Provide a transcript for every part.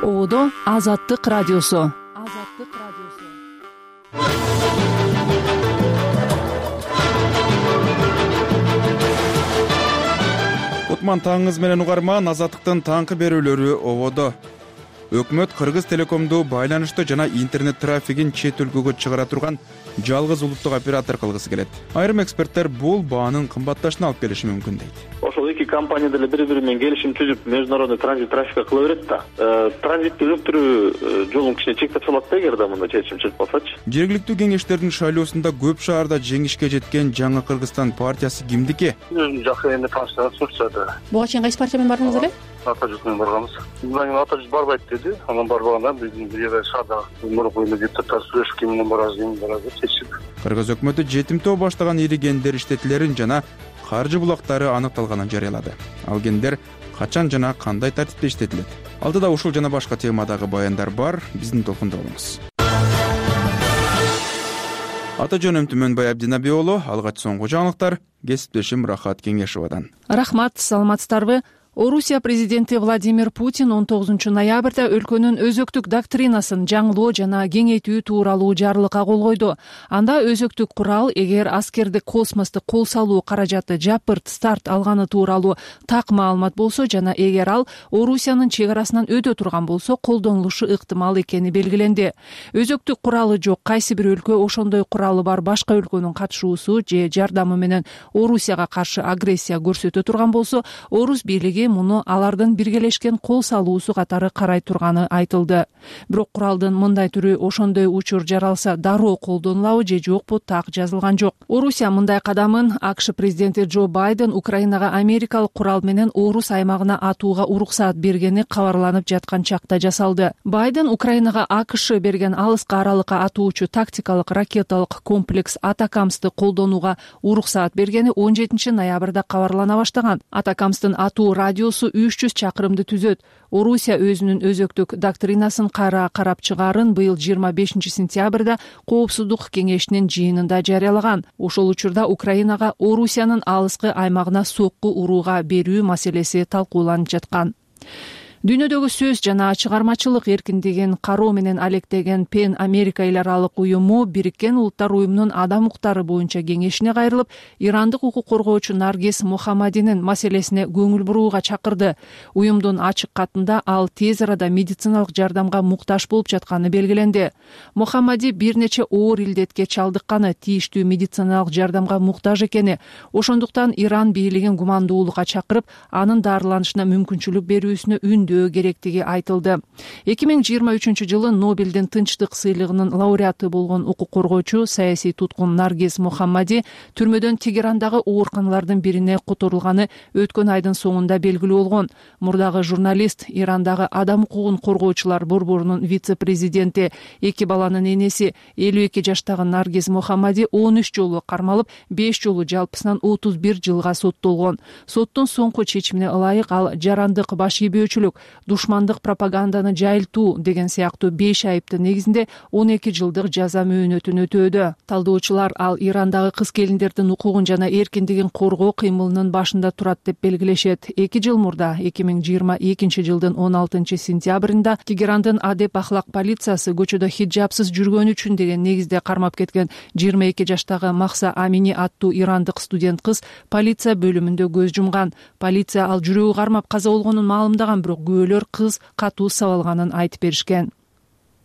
Ободо Азаттык радиосу. Кутман таңыңыз менен угарман. Азаттыктын таңкы берүүлөрү ободо. Өкмөт Кыргыз Телекомду байланышты жана интернет трафигин чет өлкөгө чыгара турган жалгыз улуттук оператор кылгысы келет. Айрым эксперттер бул баанын кымбатташына алып келиши мүмкүн дейт. Ошол эки компания деле бири-бири менен келишим түзүп, международный транзит трафикка кыла берет да. Транзитти өктүрүү жолун кичине чектеп салат да, эгерде мындай чечим чыкпасачы. Жергиликтүү кеңештердин шайлоосунда көп шаарда жеңишке жеткен Жаңы Кыргызстан партиясы кимдики? Жакшы эми таштан сурчады. Буга чейин кайсы партия менен бардыңыз эле? Ата жүз менен барганбыз. Мындан ата жүз барбайт деди. Анан барбаганда биздин бир шаарда мурунку депутаттар сүйлөшүп ким менен барабыз деп чечип. Кыргыз өкмөтү жетимтөө баштаган ири гендер иштетилерин жана каржы булактары аныкталганын жарыялады. Ал гендер качан жана кандай тартипте иштетилет? Алдыда ушул жана башка темадагы баяндар бар. Биздин толкунда болуңуз. Ата жөнүм Түмөнбай Абдинаби уулу. Алгач соңку жаңылыктар кесиптешим Рахат Кеңешовадан. Рахмат, саламатсыздарбы? Орусия президенти Владимир Путин 19 ноябрда өлкөнүн өзөктүк доктринасын жаңылоо жана кеңейтүү тууралуу жарлыкка кол койду. Анда өзөктүк курал эгер аскердик космосту кол салуу каражаты жапырт старт алганы тууралуу так маалымат болсо жана эгер ал Орусиянын чек арасынан өтө турган болсо колдонулушу ыктымал экени белгиленди. Өзөктүк куралы жок кайсы бир өлкө ошондой куралы бар башка өлкөнүн катышуусу же жардамы менен Орусияга каршы агрессия көрсөтө турган болсо, Орус бийлиги муну алардын биргелешкен кол салуусу катары карай турганы айтылды. Бирок куралдын мындай түрү ошондой учур жаралса дароо колдонулабы же жокпу так жазылган жок. Орусия мындай кадамын АКШ президенти Джо Байден Украинага америкалык курал менен Орус аймагына атууга уруксаат бергени кабарланып жаткан чакта жасалды. Байден Украинага АКШ берген алыска аралыкка атуучу тактикалык ракеталык комплекс Атакамсты колдонууга уруксаат бергени 17 ноябрда кабарлана баштаган. Атакамстын атуу радиосу 300 чакырымды түзөт. Орусия өзүнүн өзөктүк доктринасын кайра карап чыгаарын быйыл 25 сентябрда Коопсуздук кеңешинин жыйынында жарыялаган. Ошол учурда Украинага Орусиянын алыскы аймагына сокку урууга берүү маселеси талкууланып жаткан. Дүйнөдөгү сөз жана чыгармачылык эркиндигин кароо менен алектеген Пен Америка эл аралык уюму Бириккен Улуттар уюмунун адам укуктары боюнча кеңешине кайрылып, ирандык укук коргоочу Наргиз Мохаммадинин маселесине көңүл бурууга чакырды. Уюмдун ачык катында ал тез арада медициналык жардамга муктаж болуп жатканы белгиленди. Мохаммади бир нече оор илдетке чалдыкканы, тийиштүү медициналык жардамга муктаж экени, ошондуктан Иран бийлигин гумандуулукка чакырып, анын дарыланышына мүмкүнчүлүк берүүсүнө үндөө керектиги айтылды. 2023 жылы Нобелдин тынчтык сыйлыгынын лауреаты болгон укук коргоочу саясий туткун Наргиз Мохаммади түрмөдөн Тегерандагы ооруканалардын бирине которулганы өткөн айдын соңунда белгилүү болгон. Мурдагы журналист, Ирандагы адам укугун коргоочулар борборунун вице-президенти, 2 баланын энеси 52 жаштагы Наргиз Мохаммади 13 жолу кармалып, 5 жолу жалпысынан 31 жылга соттолгон. Соттун соңку чечимине ылайык ал жарандык баш ийбөөчүлүк, душмандык пропаганданы жайылтуу деген сыяктуу 5 айыптын негизинде 12 жылдык жаза мөөнөтүн өтөөдө. Талдоочулар ал Ирандагы кыз-келиндердин укугун жана эркиндигин коргоо кыймылынын башында турат деп белгилешет. 2 жыл мурда 2022 жылдын 16 сентябрында Тегерандын адеп ахлак полициясы көчөдө хиджабсыз жүргөнү үчүн деген негизде кармап кеткен 22 жаштагы Махса Амини аттуу ирандык студент кыз полиция бөлүмүндө көз жумган. Полиция ал жүрөгү кармап каза болгонун маалымдаган, бирок күбөлөр кыз катуу сабалганын айтып беришкен.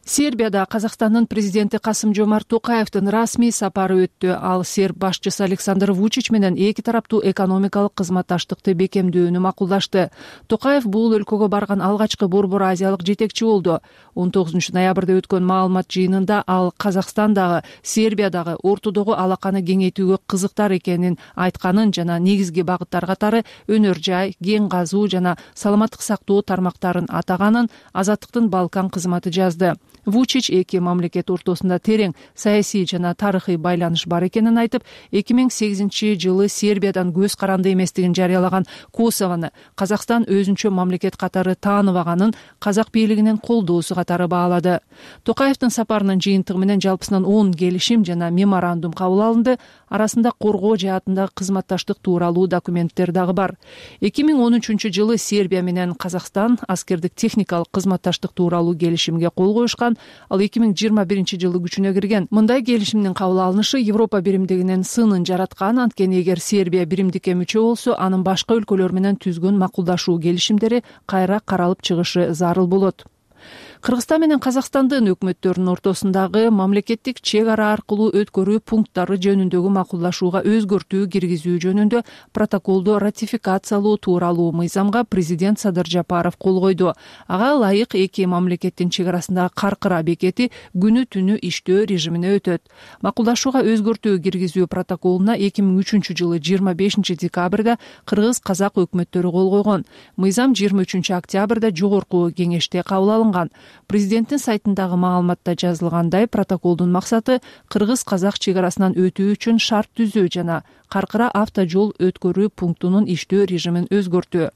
Сербияда Казакстандын президенти Касым-Жомарт Токаевдин расмий сапары өттү. Ал серб башчысы Александр Вучич менен эки тараптуу экономикалык кызматташтыкты бекемдөөнү макулдашты. Токаев бул өлкөгө барган алгачкы борбор азиялык жетекчи болду. 19 ноябрда өткөн маалымат жыйынында ал Казакстандагы, Сербиядагы ортодогу алаканы кеңейтүүгө кызыктар экенин айтканын жана негизги багыттар катары өнөр жай, кен казуу жана саламаттык сактоо тармактарын атаганын Азаттыктын Балкан кызматы жазды. Вучич эки мамлекет ортосунда терең саясий жана тарыхый байланыш бар экенин айтып, 2008-жылы Сербиядан көз каранды эместигин жарыялаган Косовону Казакстан өзүнчө мамлекет катары тааныбаганын казак бийлигинин колдоосу катары баалады. Токаевдин сапарынын жыйынтыгы менен жалпысынан 10 келишим жана меморандум кабыл алынды. Арасында коргоо жаатындагы кызматташтык тууралуу документтер дагы бар. 2013-жылы Сербия менен Казакстан аскердик техникалык кызматташтык тууралуу келишимге кол коюшкан. Ал 2021-жылы күчүнө кирген. Мындай келишимдин кабыл алынышы Европа биримдигинин сынын жараткан. Анткени эгер Сербия биримдикке мүчө болсо, анын башка өлкөлөр менен түзгөн макулдашуу келишимдери кайра каралып чыгышы зарыл болот. Кыргызстан менен Казакстандын өкмөттөрүнүн ортосундагы мамлекеттик чек ара аркылуу өткөрүү пункттары жөнүндөгү макулдашууга өзгөртүү киргизүү жөнүндө протоколду ратификациялоо тууралуу мыйзамга президент Садыр Жапаров кол койду. Ага ылайык эки мамлекеттин чек арасындагы Каркыра бекети күнү түнү иштөө режимине өтөт. Макулдашууга өзгөртүү киргизүү протоколуна 2003-жылы 25 декабрда кыргыз-казак өкмөттөрү кол койгон. Мыйзам 23 октябрда жогорку кеңеште кабыл алынган. Президенттин сайтындагы маалыматта жазылгандай, протоколдун максаты кыргыз-казак чек арасынан өтүү үчүн шарт түзүү жана Каркыра автожол өткөрүү пунктунун иштөө режимин өзгөртүү.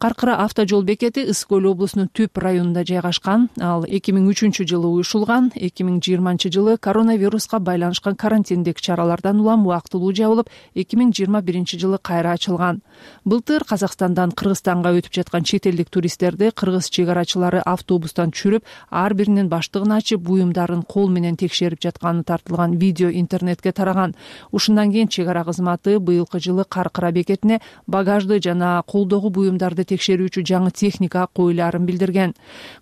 Каркыра автожол бекети Ысык Көл облусунун Түп районунда жайгашкан. Ал 2003-жылы уюшулган. 2020-жылы коронавируска байланышкан карантиндик чаралардан улам убактылуу жабылып, 2021-жылы кайра ачылган. Былтыр Казакстандан Кыргызстанга өтүп жаткан чет элдик туристтерди кыргыз чек арачылары автобустан түшүрүп, ар биринин баштыгын ачып, буюмдарын кол менен текшерип жатканы тартылган видео интернетке тараган. Ушундан кийин чек ара кызматы быйылкы жылы Каркыра бекетине багажды жана колдогу буюмдарды текшерүүчү жаңы техника коюларын билдирген.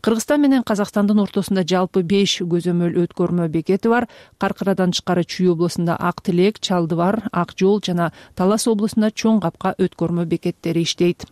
Кыргызстан менен Казакстандын ортосунда жалпы 5 көзөмөл өткөрмө бекети бар. Каркырадан тышкары Чүй облусунда Ак Тилек, Чалдыбар, Ак Жол жана Талас облусунда Чоң Капка өткөрмө бекеттери иштейт.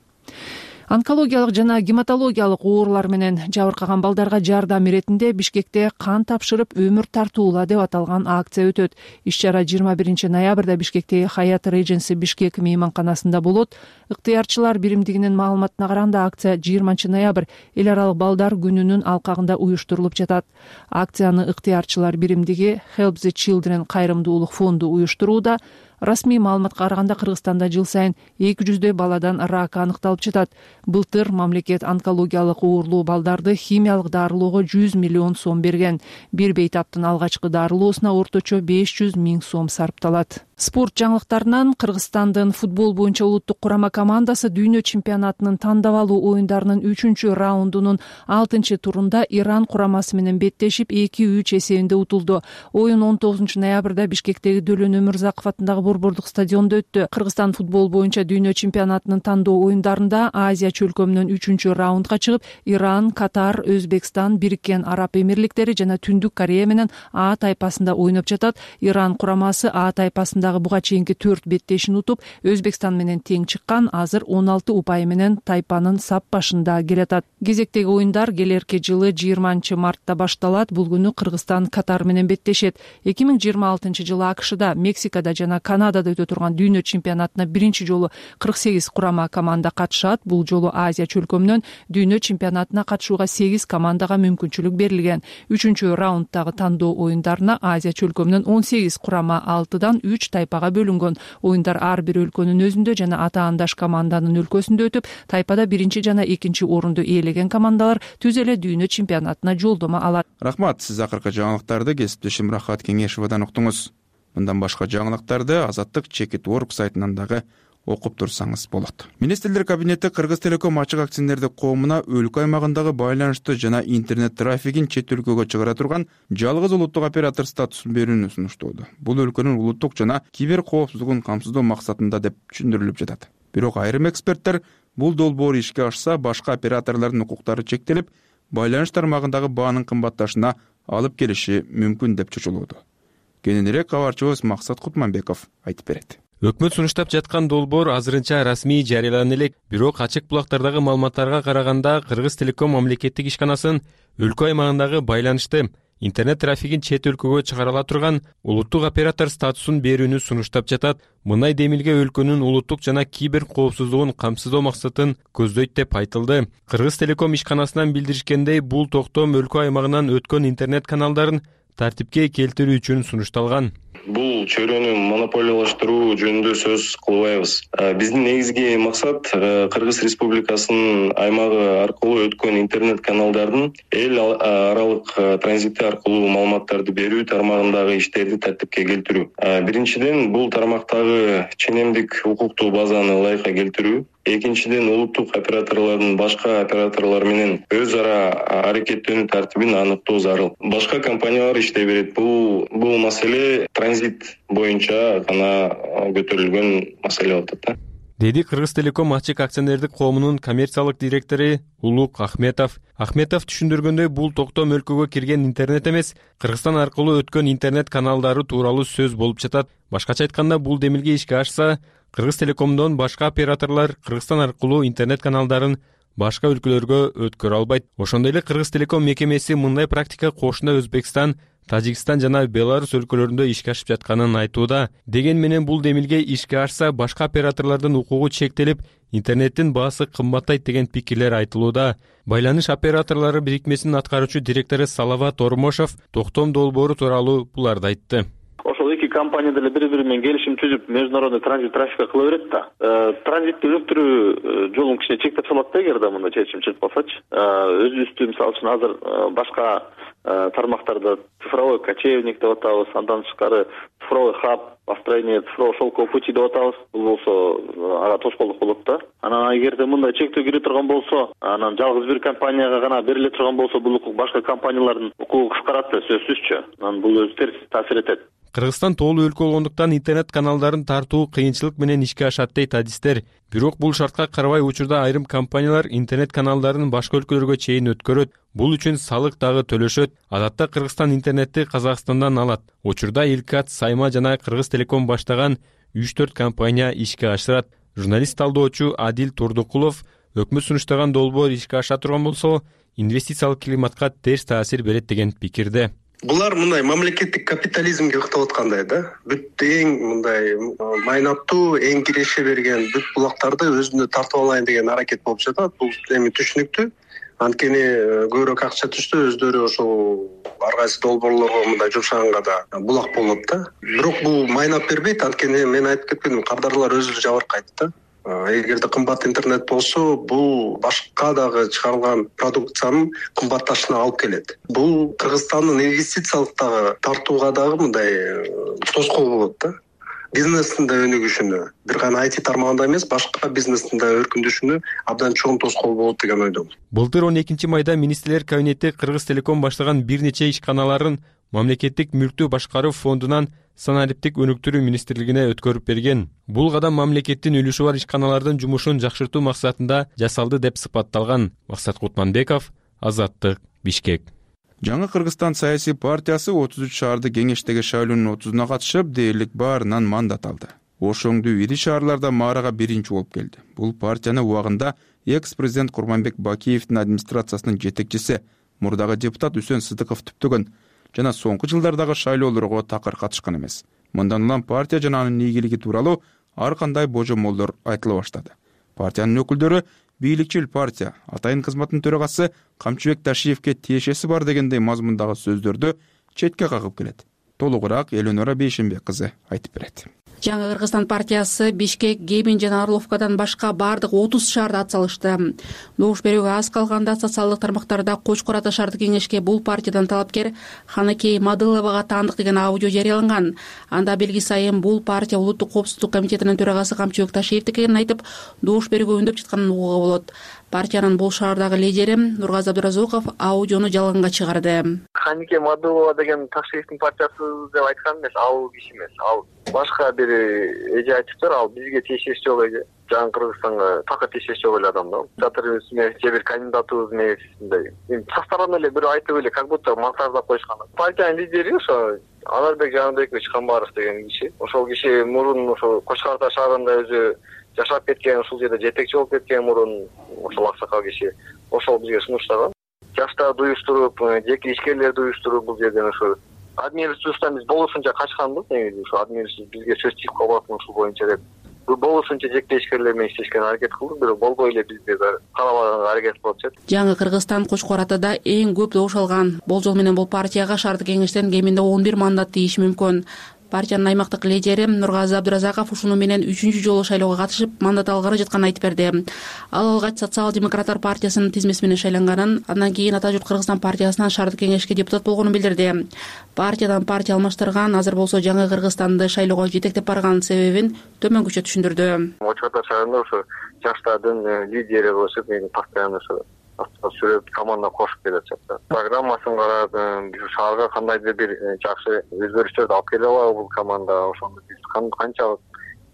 Онкологиялык жана гематологиялык оорулар менен жабыркаган балдарга жардам иретинде Бишкекте кан тапшырып өмүр тартуула деп аталган акция өтөт. Иш-чара 21 ноябрда Бишкектеги Хаят Regency Бишкек мейманканасында болот. Ыктыярчылар биримдигинин маалыматына караганда, акция 20 ноябрь эл аралык балдар күнүнүн алкагында уюштурулуп жатат. Акцияны ыктыярчылар биримдиги Help the Children кайрымдуулук фонду уюштурууда. Расмий маалыматка караганда Кыргызстанда жыл сайын 200 баладан рак аныкталып жатат. Былтыр мамлекет онкологиялык оорулуу балдарды химиялык дарылоого 100 миллион сом берген. Бир бейтаптын алгачкы дарылоосуна орточо 500 000 сом сарпталат. Спорт жаңылыктарынан Кыргызстандын футбол боюнча улуттук курама командасы дүйнө чемпионатынын тандап алуу оюндарынын 3-раундунун 6-турунда Иран курамасы менен беттешип 2-3 эсебинде утулду. Оюн 19 ноябрда Бишкектеги Дөлөн Өмүрзаков атындагы борбордук стадиондо өттү. Кыргызстан футбол боюнча дүйнө чемпионатынын тандоо оюндарында Азия чөлкөмүнөн 3-раундга чыгып, Иран, Катар, Өзбекстан, Бириккен Араб Эмирликтери жана Түндүк Корея менен А тайпасында ойноп жатат. Иран курамасы А тайпасында буга чейинки 4 беттешин утуп, Өзбекстан менен тең чыккан. Азыр 16 упай менен тайпанын сап башында келатат. Кезектеги оюндар келерки жылы 20 мартта башталат. Бул күнү Кыргызстан Катар менен беттешет. 2026 жылы АКШда, Мексикада жана Канадада өтө турган дүйнө чемпионатына биринчи жолу 48 курама команда катышат. Бул жолу Азия чөлкөмүнөн дүйнө чемпионатына катышууга 8 командага мүмкүнчүлүк берилген. 3-раунддагы тандоо оюндарына Азия чөлкөмүнөн 18 курама 6-дан 3 тайпага бөлүнгөн. Оюндар ар бир өлкөнүн өзүндө жана атаандаш команданын өлкөсүндө өтүп, тайпада биринчи жана экинчи орунду ээлеген командалар түз эле дүйнө чемпионатына жолдомо алат. Рахмат, сиз акыркы жаңылыктарды кесиптешим Рахат Кеңешовадан уктуңуз. Мындан башка жаңылыктарды Азаттык Чекит.org сайтынан дагы окуп турсаңыз болот. Министрлер кабинети Кыргыз Телеком ачык акционердик коомуна өлкө аймагындагы байланышты жана интернет трафигин чет өлкөгө чыгара турган жалгыз улуттук оператор статусун берүүнү сунуштоодо. Бул өлкөнүн улуттук жана кибер коопсуздугун камсыздоо максатында деп түшүндүрүлүп жатат. Бирок айрым эксперттер бул долбоор ишке ашса, башка операторлордун укуктары чектелип, байланыш тармагындагы баанын кымбатташына алып келиши мүмкүн деп чочулууда. Кененирээк кабарчыбыз Максат Кутманбеков айтып берет. Өкмөт сунуштап жаткан долбоор азырынча расмий жарыялана элек. Бирок ачык булактардагы маалыматтарга караганда Кыргыз Телеком мамлекеттик ишканасын өлкө аймагындагы байланышты интернет трафигин чет өлкөгө чыгарыла турган улуттук оператор статусун берүүнү сунуштап жатат. Мындай демилге өлкөнүн улуттук жана кибер коопсуздугун камсыздоо максатын көздөйт деп айтылды. Кыргыз Телеком ишканасынан билдиришкендей, бул токтом өлкө аймагынан өткөн интернет каналдарын тартипке келтирүү үчүн сунушталган. Бул чөйрөнү монополиялаштыруу жөнүндө сөз кылбайбыз. Биздин негизги максат Кыргыз Республикасынын аймагы аркылуу өткөн интернет каналдардын эл аралык транзити аркылуу маалыматтарды берүү тармагындагы иштерди тартипке келтирүү. Биринчиден, бул тармактагы ченемдик укуктуу базаны ылайыкка келтирүү. Экинчиден, улуттук операторлордун башка операторлор менен өз ара аракеттенүү тартибин аныктоо зарыл. Башка компаниялар иштей берет. Бул маселе транзит боюнча гана көтөрүлгөн маселе болот да. Деди Кыргыз Телеком ачык акционердик коомунун коммерциялык директору Улук Ахметов. Ахметов түшүндүргөндөй, бул токтом өлкөгө кирген интернет эмес, Кыргызстан аркылуу өткөн интернет каналдары тууралуу сөз болуп жатат. Башкача айтканда, бул демилге ишке ашса, Кыргыз Телекомдон башка операторлор Кыргызстан аркылуу интернет каналдарын башка өлкөлөргө өткөрө албайт. Ошондой эле Кыргыз Телеком мекемеси мындай практика кошуна Өзбекстан, Тажикстан жана Беларусь өлкөлөрүндө ишке ашып жатканын айтууда. Деген менен бул демилге ишке ашса, башка операторлордун укугу чектелип, интернеттин баасы кымбаттайт деген пикирлер айтылууда. Байланыш операторлору бирикмесинин аткаруучу директору Салават Ормошов токтом долбоору тууралуу буларды айтты. Ошол эки компания деле бири-бири менен келишим түзүп, международный транзит трафикка кыла берет да. Транзитти өнүктүрүү жолун кичине чектеп салат да, эгерде мындай чечим чыгып калсачы. Өзүбүздү мисалы үчүн азыр башка тармактарда цифровой кочевник деп атабыз, андан тышкары цифровой хаб, построение цифрового шелкового пути деп атабыз. Бул болсо ага тоскоолдук болот да. Анан эгерде мындай чектөө кире турган болсо, анан жалгыз бир компанияга гана бериле турган болсо, бул укук башка компаниялардын укугу кыскарат да, сөзсүзчү. Анан бул өзү терс таасир этет. Кыргызстан тоолуу өлкө болгондуктан интернет каналдарын тартуу кыйынчылык менен ишке ашат дейт адистер. Бирок бул шартка карабай учурда айрым компаниялар интернет каналдарын башка өлкөлөргө чейин өткөрөт. Бул үчүн салык дагы төлөшөт. Адатта Кыргызстан интернетти Казакстандан алат. Учурда Илкат, Сайма жана Кыргыз Телеком баштаган 3-4 компания ишке ашырат. Журналист талдоочу Адил Турдукулов өкмөт сунуштаган долбоор ишке аша турган болсо, инвестициялык климатка терс таасир берет деген пикирде. Булар мындай мамлекеттик капитализмге ыктап аткандай да. Бүт эң мындай майнаттуу, эң киреше берген бүт булактарды өзүнө тартып алайын деген аракет болуп жатат. Бул эми түшүнүктүү. Анткени көбүрөөк акча түштү, өздөрү ошол ар кайсы долбоорлорго мындай жумшаганга да булак болот да. Бирок бул майнап бербейт, анткени мен айтып кеткендим, кардарлар өзү жабыркайт да. Эгерде кымбат интернет болсо, бул башка дагы чыгарылган продукциянын кымбатташына алып келет. Бул Кыргызстандын инвестициялык дагы тартууга дагы мындай тоскоол болот да. Бизнестин да өнүгүшүнө, бир гана IT тармагында эмес, башка бизнестин да өркүндөшүнө абдан чоң тоскоол болот деген ойдомун. Былтыр 12 майда министрлер кабинети Кыргыз Телеком баштаган бир нече ишканаларын мамлекеттик мүлктү башкаруу фондунан санариптик өнүктүрүү министрлигине өткөрүп берген. Бул кадам мамлекеттин үлүшү бар ишканалардын жумушун жакшыртуу максатында жасалды деп сыпатталган. Максат Кутманбеков, Азаттык, Бишкек. Жаңы Кыргызстан саясий партиясы 33 шаарды кеңештеги шайлоонун 30-уна катышып, дээрлик баарынан мандат алды. Ошоңдуу ири шаарларда маарага биринчи болуп келди. Бул партияны убагында экс-президент Курманбек Бакиевдин администрациясынын жетекчиси, мурдагы депутат Үсөн Сыдыков түптөгөн жана соңку жылдардагы шайлоолорго такыр катышкан эмес. Мындан улам партия жана анын ийгилиги тууралуу ар кандай божомолдор айтыла баштады. Партиянын өкүлдөрү бийликчил партия, атайын кызматтын төрагасы Камчыбек Ташиевке тиешеси бар дегендей мазмундагы сөздөрдү четке кагып келет. Толугураак Эленора Бейшенбек кызы айтып берет. Жаңы Кыргызстан партиясы Бишкек, Гебин жана Орловкадан башка бардык 30 шаарда ат салышты. Добуш берүүгө аз калганда социалдык тармактарда Кочкор ата шаардык кеңешке бул партиядан талапкер Ханыкей Мадыловага таандык деген аудио жарыяланган. Анда белги сайын бул партия улуттук коопсуздук комитетинин төрагасы Камчыбек Ташиевдики экенин айтып, добуш берүүгө үндөп жатканын угууга болот. Партиянын бул шаардагы лидери Нургазы Абдыразуков аудиону жалганга чыгарды. Ханыкей Мадылова деген Ташиевдин партиясы деп айткан эмес, ал киши эмес. Ал башка бир эже айтыптыр, ал бизге тиешеси жок эже. Жаңы Кыргызстанга такыр тиешеси жок эле адам да. Чатырыбыз менен же бир кандидатыбыз менен эми састаран эле бирөө айтып эле, как будто мансардап коюшкан. Партиянын лидери ошо Анарбек Жаныбекович Камбаров деген киши. Ошол киши мурун ошо Кочкор ата шаарында өзү жашап кеткен, ушул жерде жетекчи болуп кеткен мурун ошол аксакал киши. Ошол бизге сунуштаган. жаштарды уюштуруп, жеке ишкерлерди уюштуруп бул жерден ошо админресурстан биз болушунча качканбыз. Негизи ошо админресурс бизге сөз тийип калбасын ушул боюнча деп болушунча жеке ишкерлер менен иштешке аракет кылдык, бирок болбой эле бизде каалабаганга аракет кылып атышат. Жаңы Кыргызстан Кочкор Атада эң көп добуш алган болжол менен бул партияга шаардык кеңештен кеминде 11 мандат тийиши мүмкүн. Партиянын аймактык лидери Нургазы Абдыразаков ушуну менен 3-чү жолу шайлоого катышып, мандат алгары жатканын айтып берди. Ал алгач Социал-демократтар партиясынын тизмеси менен шайланганын, андан кийин Ата журт Кыргызстан партиясынан шаардык кеңешке депутат болгонун билдирди. Партиядан партия алмаштырган, азыр болсо Жаңы Кыргызстанды шайлоого жетектеп барган себебин төмөнгөчө түшүндүрдү. Очкордо шаарында ошо жаштардын лидери болуп, мени постоянно ошо сүрөп команда кошуп келе жатат. Программасын карап, биз шаарга кандайдыр бир жакшы өзгөрүштөрдү алып келе алабы бул команда, ошондо биз канчалык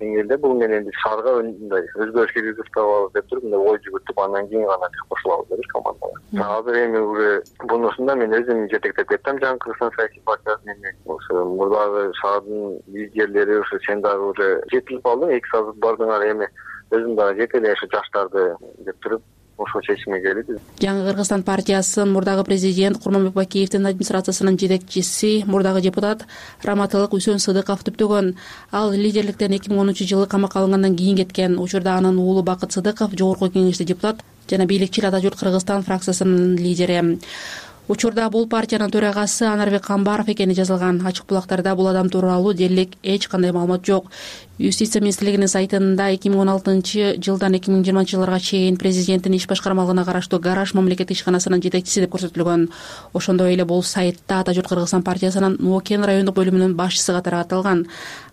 деңгээлде бул менен биз шаарга мындай өзгөрүш киргизип табабыз деп туруп мындай ой жүгүртүп, андан кийин гана биз кошулабыз деп командага. Азыр эми уже бунусунда мен өзүм жетектеп кеттим Жаңы Кыргызстан саясий партиясын. Ошо мурдагы шаардын лидерлери ошо сен дагы уже жетилип калдың, 2 саат бардыңар, эми өзүм дагы жете эле ошо жаштарды деп туруп ошол чечимге келди. Жаңы Кыргызстан партиясынын мурдагы президент Курманбек Бакиевдин администрациясынын жетекчиси, мурдагы депутат Раматылык Үсөн Сыдыков түптөгөн. Ал лидерликтен 2013-жылы камакка алынгандан кийин кеткен. Учурда анын уулу Бакыт Сыдыков жогорку кеңеште депутат жана бийликчил Ата журт Кыргызстан фракциясынын лидери. Учурда бул партиянын төрагасы Анарбек Камбаров экени жазылган. Ачык булактарда бул адам тууралуу дээрлик эч кандай маалымат жок. Юстиция министрлигинин сайтында 2016-жылдан 2020-жылдарга чейин президенттин иш башкармалыгына караштуу Гараж мамлекеттик ишканасынын жетекчиси деп көрсөтүлгөн. Ошондой эле бул сайтта Ата журт Кыргызстан партиясынын Нуокен райондук бөлүмүнүн башчысы катары аталган.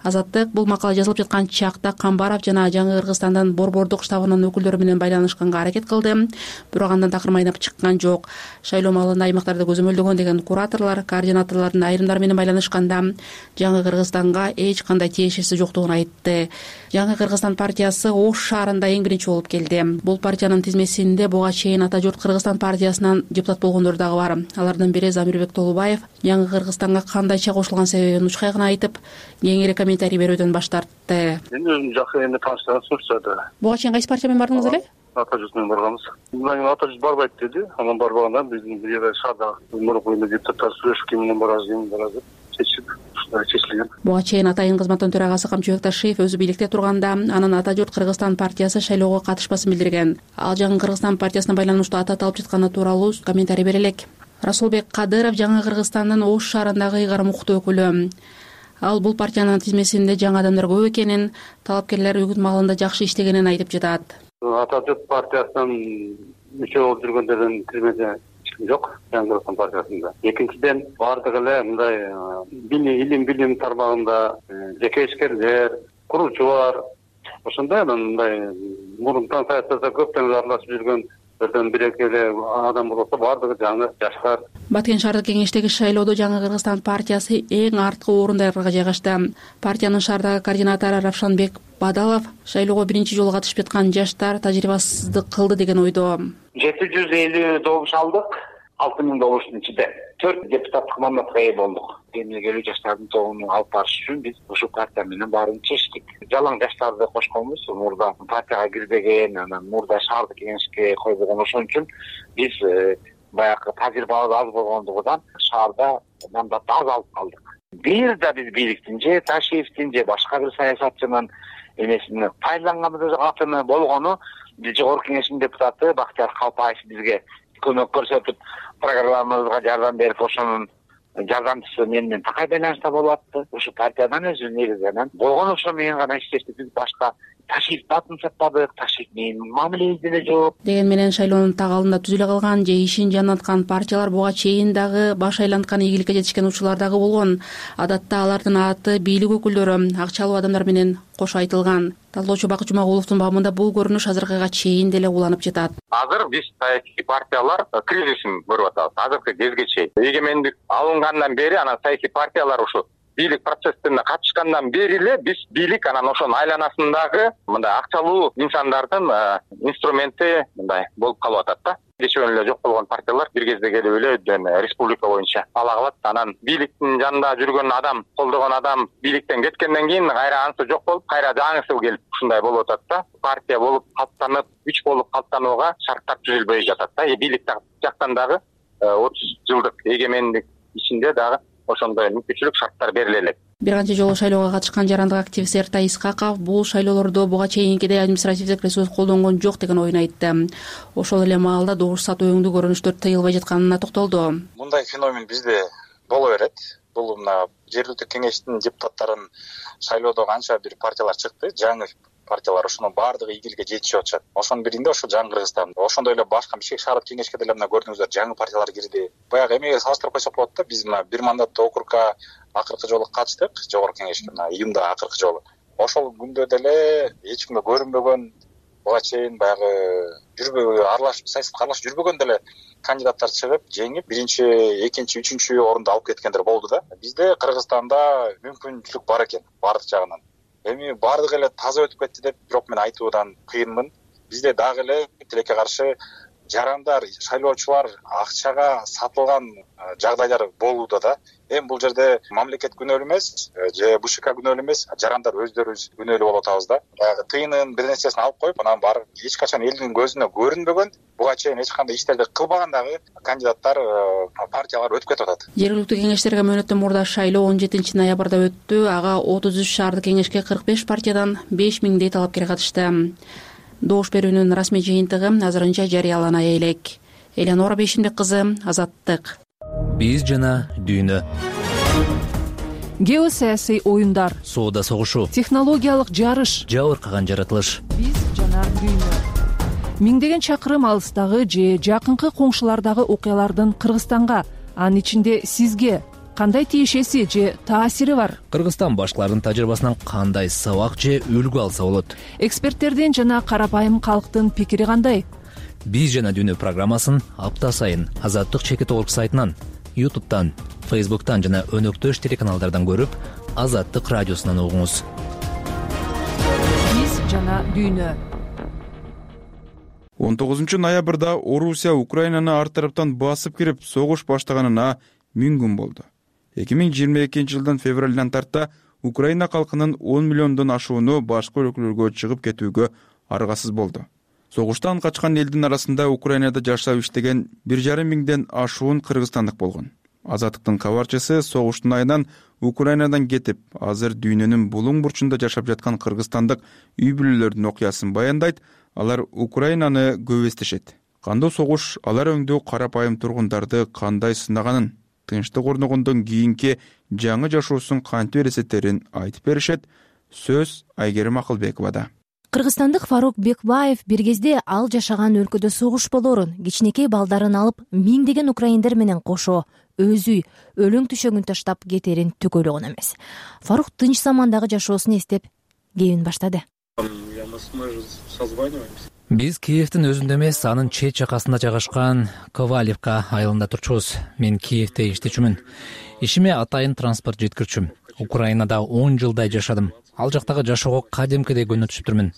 Азаттык бул макала жазылып жаткан чакта Камбаров жана Жаңы Кыргызстандын борбордук штабынын өкүлдөрү менен байланышканга аракет кылды, бирок андан такыр майнап чыккан жок. Шайлоо маалында аймактарды көзөмөлдөгөн деген кураторлор, координаторлордун айрымдары менен байланышканда Жаңы Кыргызстанга эч кандай тиешеси жоктугун айтты. Жаңы Кыргызстан партиясы Ош шаарында эң биринчи болуп келди. Бул партиянын тизмесинде буга чейин Ата журт Кыргызстан партиясынан депутат болгондор дагы бар. Алардын бири Замирбек Толубаев Жаңы Кыргызстанга кандайча кошулган себебин учкай гана айтып, кеңири комментарий берүүдөн баш тартты. Мен өзүм жакшы эми тааныштарым сурчады. Буга чейин кайсы партия менен бардыңыз эле? Ата журт менен барганбыз. Мындан кийин Ата журт барбайт деди. Анан барбаганда биздин бир жерде шаарда мурунку депутаттар сүйлөшүп, ким менен барабыз деп чечип чечилген. Буга чейин Атайын кызматтын төрагасы Камчыбек Ташиев өзү бийликте турганда анын Ата журт Кыргызстан партиясы шайлоого катышпасын билдирген. Ал Жаңы Кыргызстан партиясына байланыштуу ата алып жатканы тууралуу комментарий бере элек. Расулбек Кадыров Жаңы Кыргызстандын Ош шаарындагы ыйгарым укуктуу өкүлү. Ал бул партиянын тизмесинде жаңы адамдар көп экенин, талапкерлер үгүт маалында жакшы иштегенин айтып жатат. Ата журт партиясынын мүчө болуп жүргөндөрдүн тизмеде жок Жаңы Кыргызстан партиясында. Экинчиден баардыгы эле мындай илим тармагында жеке ишкерлер, курулуучулар, ошондой мындай мурунтан саясатта көптөн аралашып жүргөндөрдөн бир-эки эле адам болсо баардыгы жаңы жаштар. Баткен шаардык кеңештеги шайлоодо Жаңы Кыргызстан партиясы эң арткы орундарга жайгашты. Партиянын шаардагы координатору Равшанбек Бадалов шайлоого биринчи жолу катышып жаткан жаштар тажрыйбасыздык кылды деген ойдо. 750 добуш алдык, 6000 добуштун ичинде 4 депутаттык мандатка ээ болдук. Эмнегелүү жаштардын тобун алып барыш үчүн биз ушул партия менен барынча иштедик. Жалаң жаштарды кошконбуз, мурда партияга кирбеген, анан мурда шаардык кеңешке койбогон, ошон үчүн биз баягы тажрыйбабыз аз болгондугунан шаарда мандатты аз алып калдык. Бир да биз бийликтин же Ташиевдин же башка бир саясатчынын эмесин пайдаланганыбыз атыны болгону биз жогорку кеңештин депутаты Бактияр Калпаев бизге көмөк көрсөтүп, программабызга жардам берип, ошонун жардамчысы менен такай байланышта болуп атты. Ушу партиядан өзү негизинен болгон ошо менен гана иштештик. Биз башка Ташиевди атын сатпадык, Ташиев менен мамилебиз деле жок. Деген менен шайлоонун так алдында түзүлө калган же ишин жанаткан партиялар буга чейин дагы баш айланткан ийгиликке жетишкен учурлар дагы болгон. Адатта алардын аты бийлик өкүлдөрү, акчалуу адамдар менен кошо айтылган. Талоочу Бакыт Жумагуловдун бабында бул көрүнүш азыркыга чейин деле уланып жатат. Азыр биз саясий партиялар кризисин көрүп атабыз. Азыркы кезге чейин эгемендик алынгандан бери анан саясий партиялар ушу бийлик процессине катышкандан бери эле биз бийлик анан ошонун айланасындагы мындай акчалуу инсандардын инструменти мындай болуп калып атат да. Кечен эле жок болгон партиялар бир кезде келип эле республика боюнча ала калат. Анан бийликтин жанында жүргөн адам, колдогон адам бийликтен кеткенден кийин кайра анысы жок болуп, кайра жаңысы келип ушундай болуп атат да. Партия болуп калыптанып, күч болуп калыптанууга шарттар түзүлбөй жатат да. Бийлик жактан дагы 30 жылдык эгемендик ичинде дагы ошондой мүмкүнчүлүк шарттар бериле элек. Бир канча жолу шайлоого катышкан жарандык активист Эртай Искаков бул шайлоолордо буга чейинкидей административдик ресурс колдонгон жок деген оюн айтты. Ошол эле маалда добуш сатуу өңдүү көрүнүштөр тыйылбай жатканына токтолду. Мындай феномен бизде боло берет. Бул мына жергиликтүү кеңештин депутаттарын шайлоодо канча бир партиялар чыкты, жаңы партиялар, ошонун баардыгы игиликке жетишип атышат. Ошонун биринде ошо жаңы Кыргызстан. Ошондой эле башка Бишкек шаардык кеңешке деле мына көрдүңүздөр, жаңы партиялар кирди. Баягы эмеге салыштырып койсок болот да, биз мына бир мандаттуу округга акыркы жолу катыштык, жогорку кеңешке мына июнда акыркы жолу. Ошол күндө деле эч кимге көрүнбөгөн, буга чейин баягы аралашып саясатка аралашып жүрбөгөн деле кандидаттар чыгып, жеңип, биринчи, экинчи, үчүнчү орунду алып кеткендер болду да. Бизде Кыргызстанда мүмкүнчүлүк бар экен баардык жагынан. Эми баардыгы эле таза өтүп кетти деп бирок мен айтуудан кыйынмын. Бизде дагы эле тилекке каршы жарандар, шайлоочулар акчага сатылган жагдайлар болууда да. Эми бул жерде мамлекет күнөөлүү эмес, же БШК күнөөлүү эмес, жарандар өздөрүбүз күнөөлүү болуп атабыз да. Тыйынын бир нерсесин алып коюп, анан барып эч качан элдин көзүнө көрүнбөгөн, буга чейин эч кандай иштерди кылбагандагы кандидаттар, партиялар өтүп кетип атат. Жергиликтүү кеңештерге мөөнөттөн мурда шайлоо 17 ноябрда өттү. Ага 33 шаардык кеңешке 45 партиядан 5000дей талапкер катышты. Добуш берүүнүн расмий жыйынтыгы азырынча жарыялана элек. Элеонора Бейшимбек кызы, Азаттык. Биз жана дүйнө. Геосаясий оюндар, соода согушу, технологиялык жарыш, жабыркаган жаратылыш. Биз жана дүйнө. Миңдеген чакырым алыстагы же жакынкы коңшулардагы окуялардын Кыргызстанга, анын ичинде сизге кандай тиешеси же таасири бар? Кыргызстан башкалардын тажрыйбасынан кандай сабак же үлгү алса болот? Эксперттердин жана карапайым калктын пикири кандай? Биз жана дүйнө программасын апта сайын Азаттык чекит орг сайтынан, YouTube'тан, Facebook'тан жана өнөктөш телеканалдардан көрүп, Азаттык радиосунан угуңуз. Биз жана дүйнө. 19 ноябрда Орусия Украинаны ар тараптан басып кирип, согуш баштаганына 1000 күн болду. 2022 жылдын февралынан тарта Украина калкынын 10 миллиондон ашууну башка өлкөлөргө чыгып кетүүгө аргасыз болду. Согуштан качкан элдин арасында Украинада жашап иштеген 1,5 миңден ашуун кыргызстандык болгон. Азаттыктын кабарчысы согуштун айынан Украинадан кетип, азыр дүйнөнүн булуң бурчунда жашап жаткан кыргызстандык үй бүлөлөрдүн окуясын баяндайт. Алар Украинаны көп эстешет. Кандуу согуш алар өңдүү карапайым тургундарды кандай сынаганын, тынчтык орногондон кийинки жаңы жашоосун кантип элестетерин айтып беришет. Сөз Айгерим Акылбековада. Кыргызстандык Фарук Бекбаев бир кезде ал жашаган өлкөдө согуш болоорун, кичинекей балдарын алып, миңдеген украиндер менен кошо өз үй, өлүң түшөгүн таштап кетерин түк ойлогон эмес. Фарук тынч замандагы жашоосун эстеп, кебин баштады. Биз Киевдин өзүндө эмес, анын чет жакасында жайгашкан Ковалевка айылында турчубуз. Мен Киевде иштечүмүн. Ишиме атайын транспорт жеткирчүм. Украинада 10 жылдай жашадым. Ал жактагы жашоого кадимкидей көңүл түшүптүрмүн.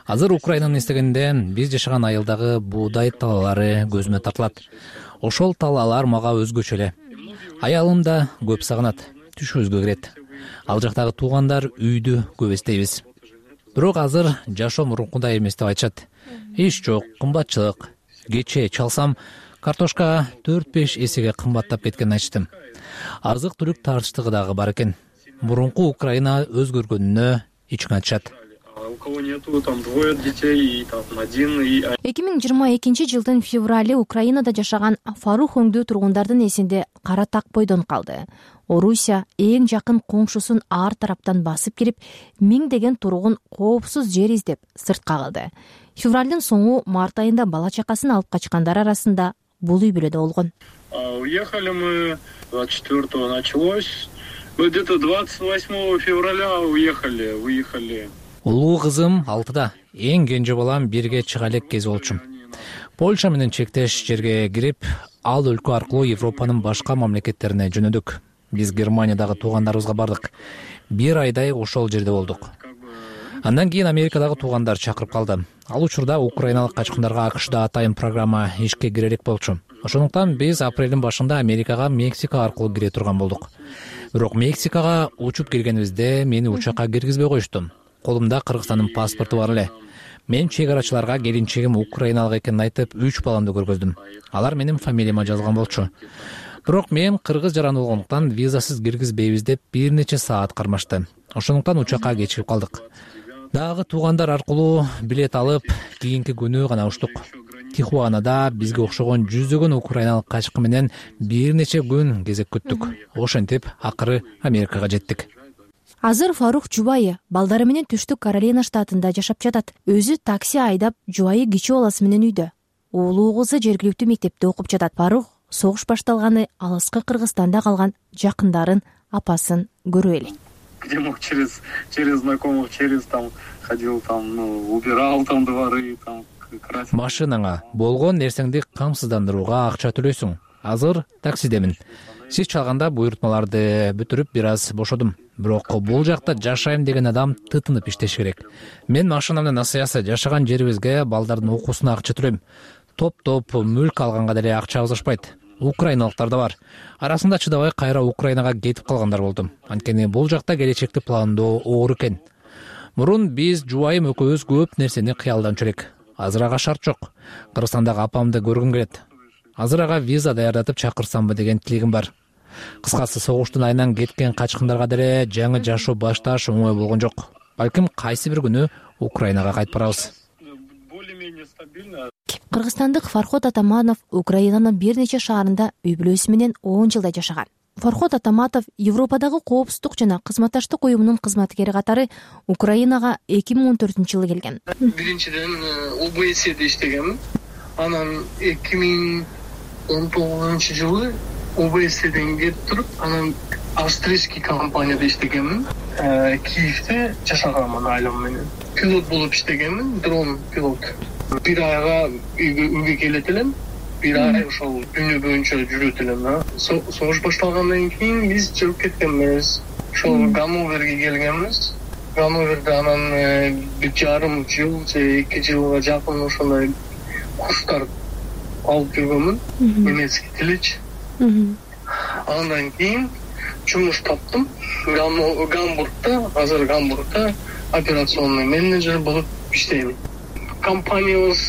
Азыр Украинаны эстегенде биз жашаган айылдагы буудай талаалары көзүмө тартылат. Ошол талаалар мага өзгөчө эле. Аялым да көп сагынат, түшүбүзгө кирет. Ал жактагы туугандар үйдү көп эстейбиз. Бирок азыр жашоо мурункудай эмес деп айтышат. Иш жок, кымбатчылык. Кечээ чалсам, картошка 4-5 эсеге кымбаттап кеткенин айтыштым. Азык-түлүк тартыштыгы дагы бар экен. Мурунку Украина өзгөргөнүнө ичиң айтышат. У кого нету, там двое детей, и там один, и... 2022 жылдын февралы Украинада жашаган Фарук өңдүү тургундардын эсинде кара так бойдон калды. Орусия эң жакын коңшусун ар тараптан басып кирип, миңдеген тургун коопсуз жер издеп сыртка калды. Февралдын соңу март айында бала чакасын алып качкандар арасында бул үй бүлөдө болгон. Уехали мы 24-го началось. Где-то 28 февраля выехали. Улуу кызым 6-да, эң кенже балам 1-ге чыга элек кез болчумун. Польша менен чектеш жерге кирип, ал өлкө аркылуу Европанын башка мамлекеттерине жөнөдүк. Биз Германиядагы туугандарыбызга бардык. 1 айдай ошол жерде болдук. Андан кийин Америкадагы туугандар чакырып калды. Ал учурда украиналык качкындарга АКШда атайын программа ишке кире элек болчу. Ошондуктан биз апрелдин башында Америкага Мексика аркылуу кире турган болдук. Бирок Мексикага учуп келгенибизде мени учакка киргизбей коюшту. Колумда Кыргызстандын паспорту бар эле. Мен чек арачыларга келинчегим украиналык экенин айтып 3 баламды көргөздүм. Алар менин фамилияма жазган болчу. Бирок мен кыргыз жараны болгондуктан визасыз киргизбейбиз деп бир нече саат кармашты. Ошондуктан учакка кечигип калдык. Дагы туугандар аркылуу билет алып, кийинки күнү гана учтук. Тихуанада бизге окшогон жүздөгөн украиналык качкы менен бир нече күн кезек күттүк. Ошентип акыры Америкага жеттик. Азыр Фарух жубайы балдары менен Түштүк Каролина штатында жашап жатат. Өзү такси айдап, жубайы кичи баласы менен үйдө. Уулу кызы жергиликтүү мектепте окуп жатат. Фарух согуш башталганы алыскы Кыргызстанда калган жакындарын, апасын көрүп элек. Где мог через знакомых, через там ходил, там, убирал там дворы, там красил. Машинаңа болгон нерсеңди камсыздандырууга акча төлөйсүң. Азыр таксидемин. Сиз чалганда буйрутмаларды бүтүрүп бир аз бошодум. Бирок бул жакта жашайм деген адам тытынып иштеш керек. Мен машинамдын насыясы жашаган жерибизге балдардын окуусуна акча төлөйм. Топ мүлк алганга деле акча азышпайт. Украиналыктар да бар. Арасында чыдабай кайра Украинага кетип калгандар болду. Анткени бул жакта келечекти пландоо оор экен. Мурун биз жубайым экөөбүз көп нерсени кыялданчу элек. Азыр ага шарт жок. Кыргызстандагы апамды көргүм келет. Азыр ага виза даярдатып чакырсамбы деген тилегим бар. Кыскасы согуштун айынан кеткен качкындарга деле жаңы жашоо башташ оңой болгон жок. Балким кайсы бир күнү Украинага кайтып барабыз. Кыргызстандык Фархот Атаманов Украинанын бир нече шаарында үй бүлөсү менен 10 жылдай жашаган. Фархот Атаматов Европадагы коопсуздук жана кызматташтык уюмунун кызматкери катары Украинага 2014-жылы келген. Биринчиден ОБСЕде иштегенмин. Анан 2019-жылы ОБСЕден кетип туруп, анан австрийский компанияда иштегенмин. Киевде жашаганмын айлам менен. Пилот болуп иштегенмин, дрон пилот. Бир айга үйгө келет элем. Бир ай ошол күнү боюнча жүрөт элем. Согуш башталгандан кийин биз чыгып кеткенбиз. Ошол Ганноверге келгенбиз. Ганноверде анан 1,5 жыл же 2 жылга жакын ошондой курстар алып жүргөнмүн. Немецкий тилич. Андан кийин жумуш таптым. Гамбургда, азыр Гамбургда операционный менеджер болуп иштейм. Компаниябыз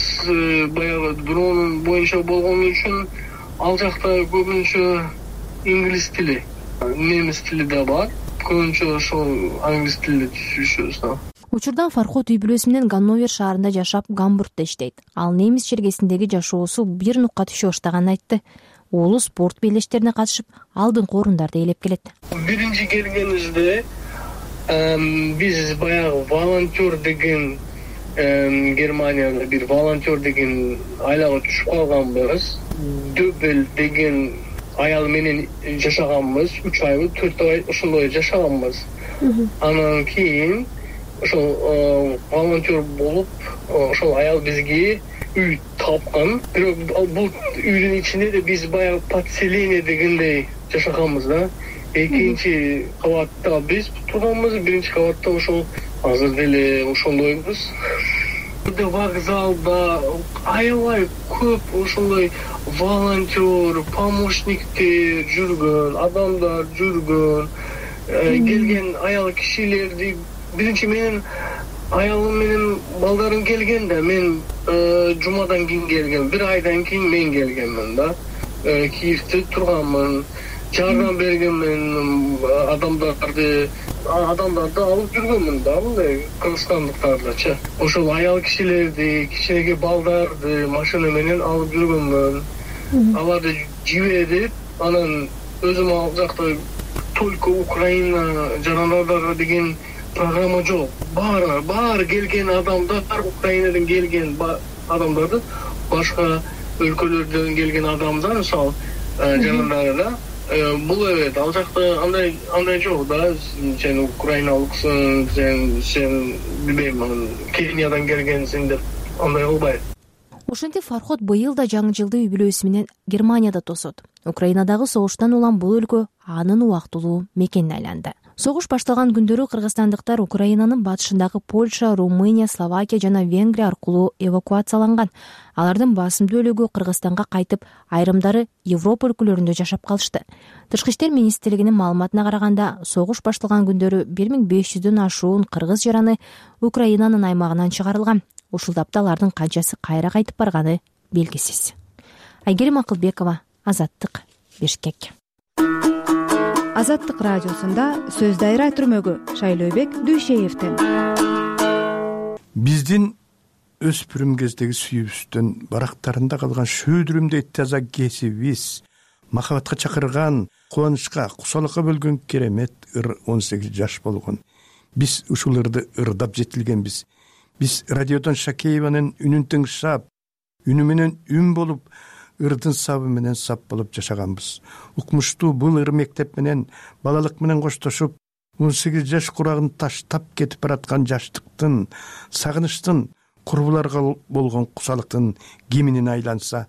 баягы дрон боюнча болгон үчүн ал жакта көбүнчө инглиз тили, немис тили да бар. Көбүнчө ошол англис тилде түшүшөбүз. Учурда Фархот үй бүлөсү менен Ганновер шаарында жашап, Гамбургда иштейт. Ал немис жергесиндеги жашоосу бир нукка түшө баштаганын айтты. Уулу спорт белештерине катышып, алдыңкы орундарды ээлеп келет. Биринчи келгенибизде биз баягы волонтер деген Германияда бир волонтер деген айлага түшүп калганбыз. Дөбел деген аял менен жашаганбыз. 3 ай, 4 ай ошондой жашаганбыз. Анан кийин ошол волонтер болуп, ошол аял бизге үй тапкан. Бирок бул үйдүн ичинде да биз баягы подселение дегендей жашаганбыз да. Экинчи кабатта биз турганбыз, биринчи кабатта ошол азыр деле ошондойбуз. Вокзалда аябай көп ошондой волонтер, помощниктер жүргөн, адамдар жүргөн. Келген аял кишилерди биринчи менен аялым менен балдарым келген да, мен жумадан кийин келгем. Бир айдан кийин мен келгенмин да. Киевде турганмын. Жардам бергенмин, адамдарды алып жүргөнмүн да, мындай кыргызстандыктардычы. Ошол аял кишилерди, кичинекей балдарды машина менен алып жүргөнмүн. Аларды жиберип, анан өзүм ал жакта только Украина жарандары деген программа жок. Баары келген адамдар, Украинадан келген адамдарды, башка өлкөлөрдөн келген адамдар, мисалы жарандары да. Бул ал жакта андай жок да. Сен украиналыксың, сен билбейм, Кениядан келгенсиң деп андай кылбайт. Ошентип Фархот быйыл да жаңы жылды үй бүлөсү менен Германияда тосот. Украинадагы согуштан улам бул өлкө анын убактылуу мекенине айланды. Согуш башталган күндөрү кыргызстандыктар Украинанын батышындагы Польша, Румыния, Словакия жана Венгрия аркылуу эвакуацияланган. Алардын басымдуу бөлүгү Кыргызстанга кайтып, айрымдары Европа өлкөлөрүндө жашап калышты. Тышкы иштер министрлигинин маалыматына караганда, согуш башталган күндөрү 1500дөн ашуун кыргыз жараны Украинанын аймагынан чыгарылган. ушул тапта алардын канчасы кайра кайтып барганы белгисиз. Айгерим Акылбекова, Азаттык, Бишкек. Азаттык радиосунда сөз дайра түрмөгү Шайлообек Дүйшеевден. Биздин өспүрүм кездеги сүйүүбүздөн барактарында калган шөөдүрүмдөй таза кесибиз, махабатка чакырган, кубанычка, кусалыкка бөлгөн керемет ыр 18 жаш болгон. Биз ушул ырды ырдап жетилгенбиз. Биз радиодон Шакееванын үнүн тыңшап, үнү менен үн болуп, ырдын сабы менен сап болуп жашаганбыз. Укмуштуу бул ыр мектеп менен, балалык менен коштошуп, 18 жаш курагын таштап кетип бараткан жаштыктын, сагынычтын, курбуларга болгон кусалыктын киминин айланса,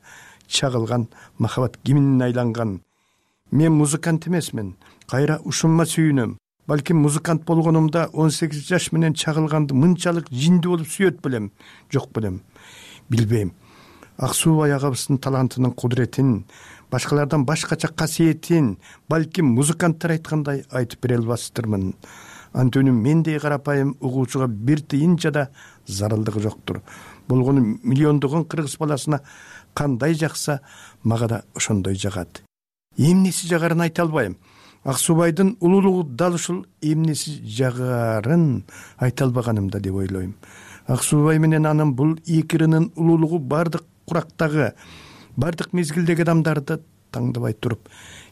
чагылган махабат киминин айланган. Мен музыкант эмесмин, кайра ушунма сүйүнөм. Балким музыкант болгонумда 18 жаш менен чагылганды мынчалык жиндүү болуп сүйөт белем, жок белем, билбейм. Ак Суубай агабыздын талантынын кудуретин, башкалардан башкача касиетин балким музыканттар айткандай айтып бере албастырмын. Антөнү мендей карапайым угуучуга бир тыйын жада зарылдыгы жоктур. Болгону миллиондогон кыргыз баласына кандай жакса, мага да ошондой жагат. Эмнеси жагарын айта албайм. Ак Суубайдын улуулугу дал ушул эмнеси жагарын айта албаганымда деп ойлойм. Ак Суубай менен анын бул эки ырынын улуулугу бардык курактагы, бардык мезгилдеги адамдарды таңдабай туруп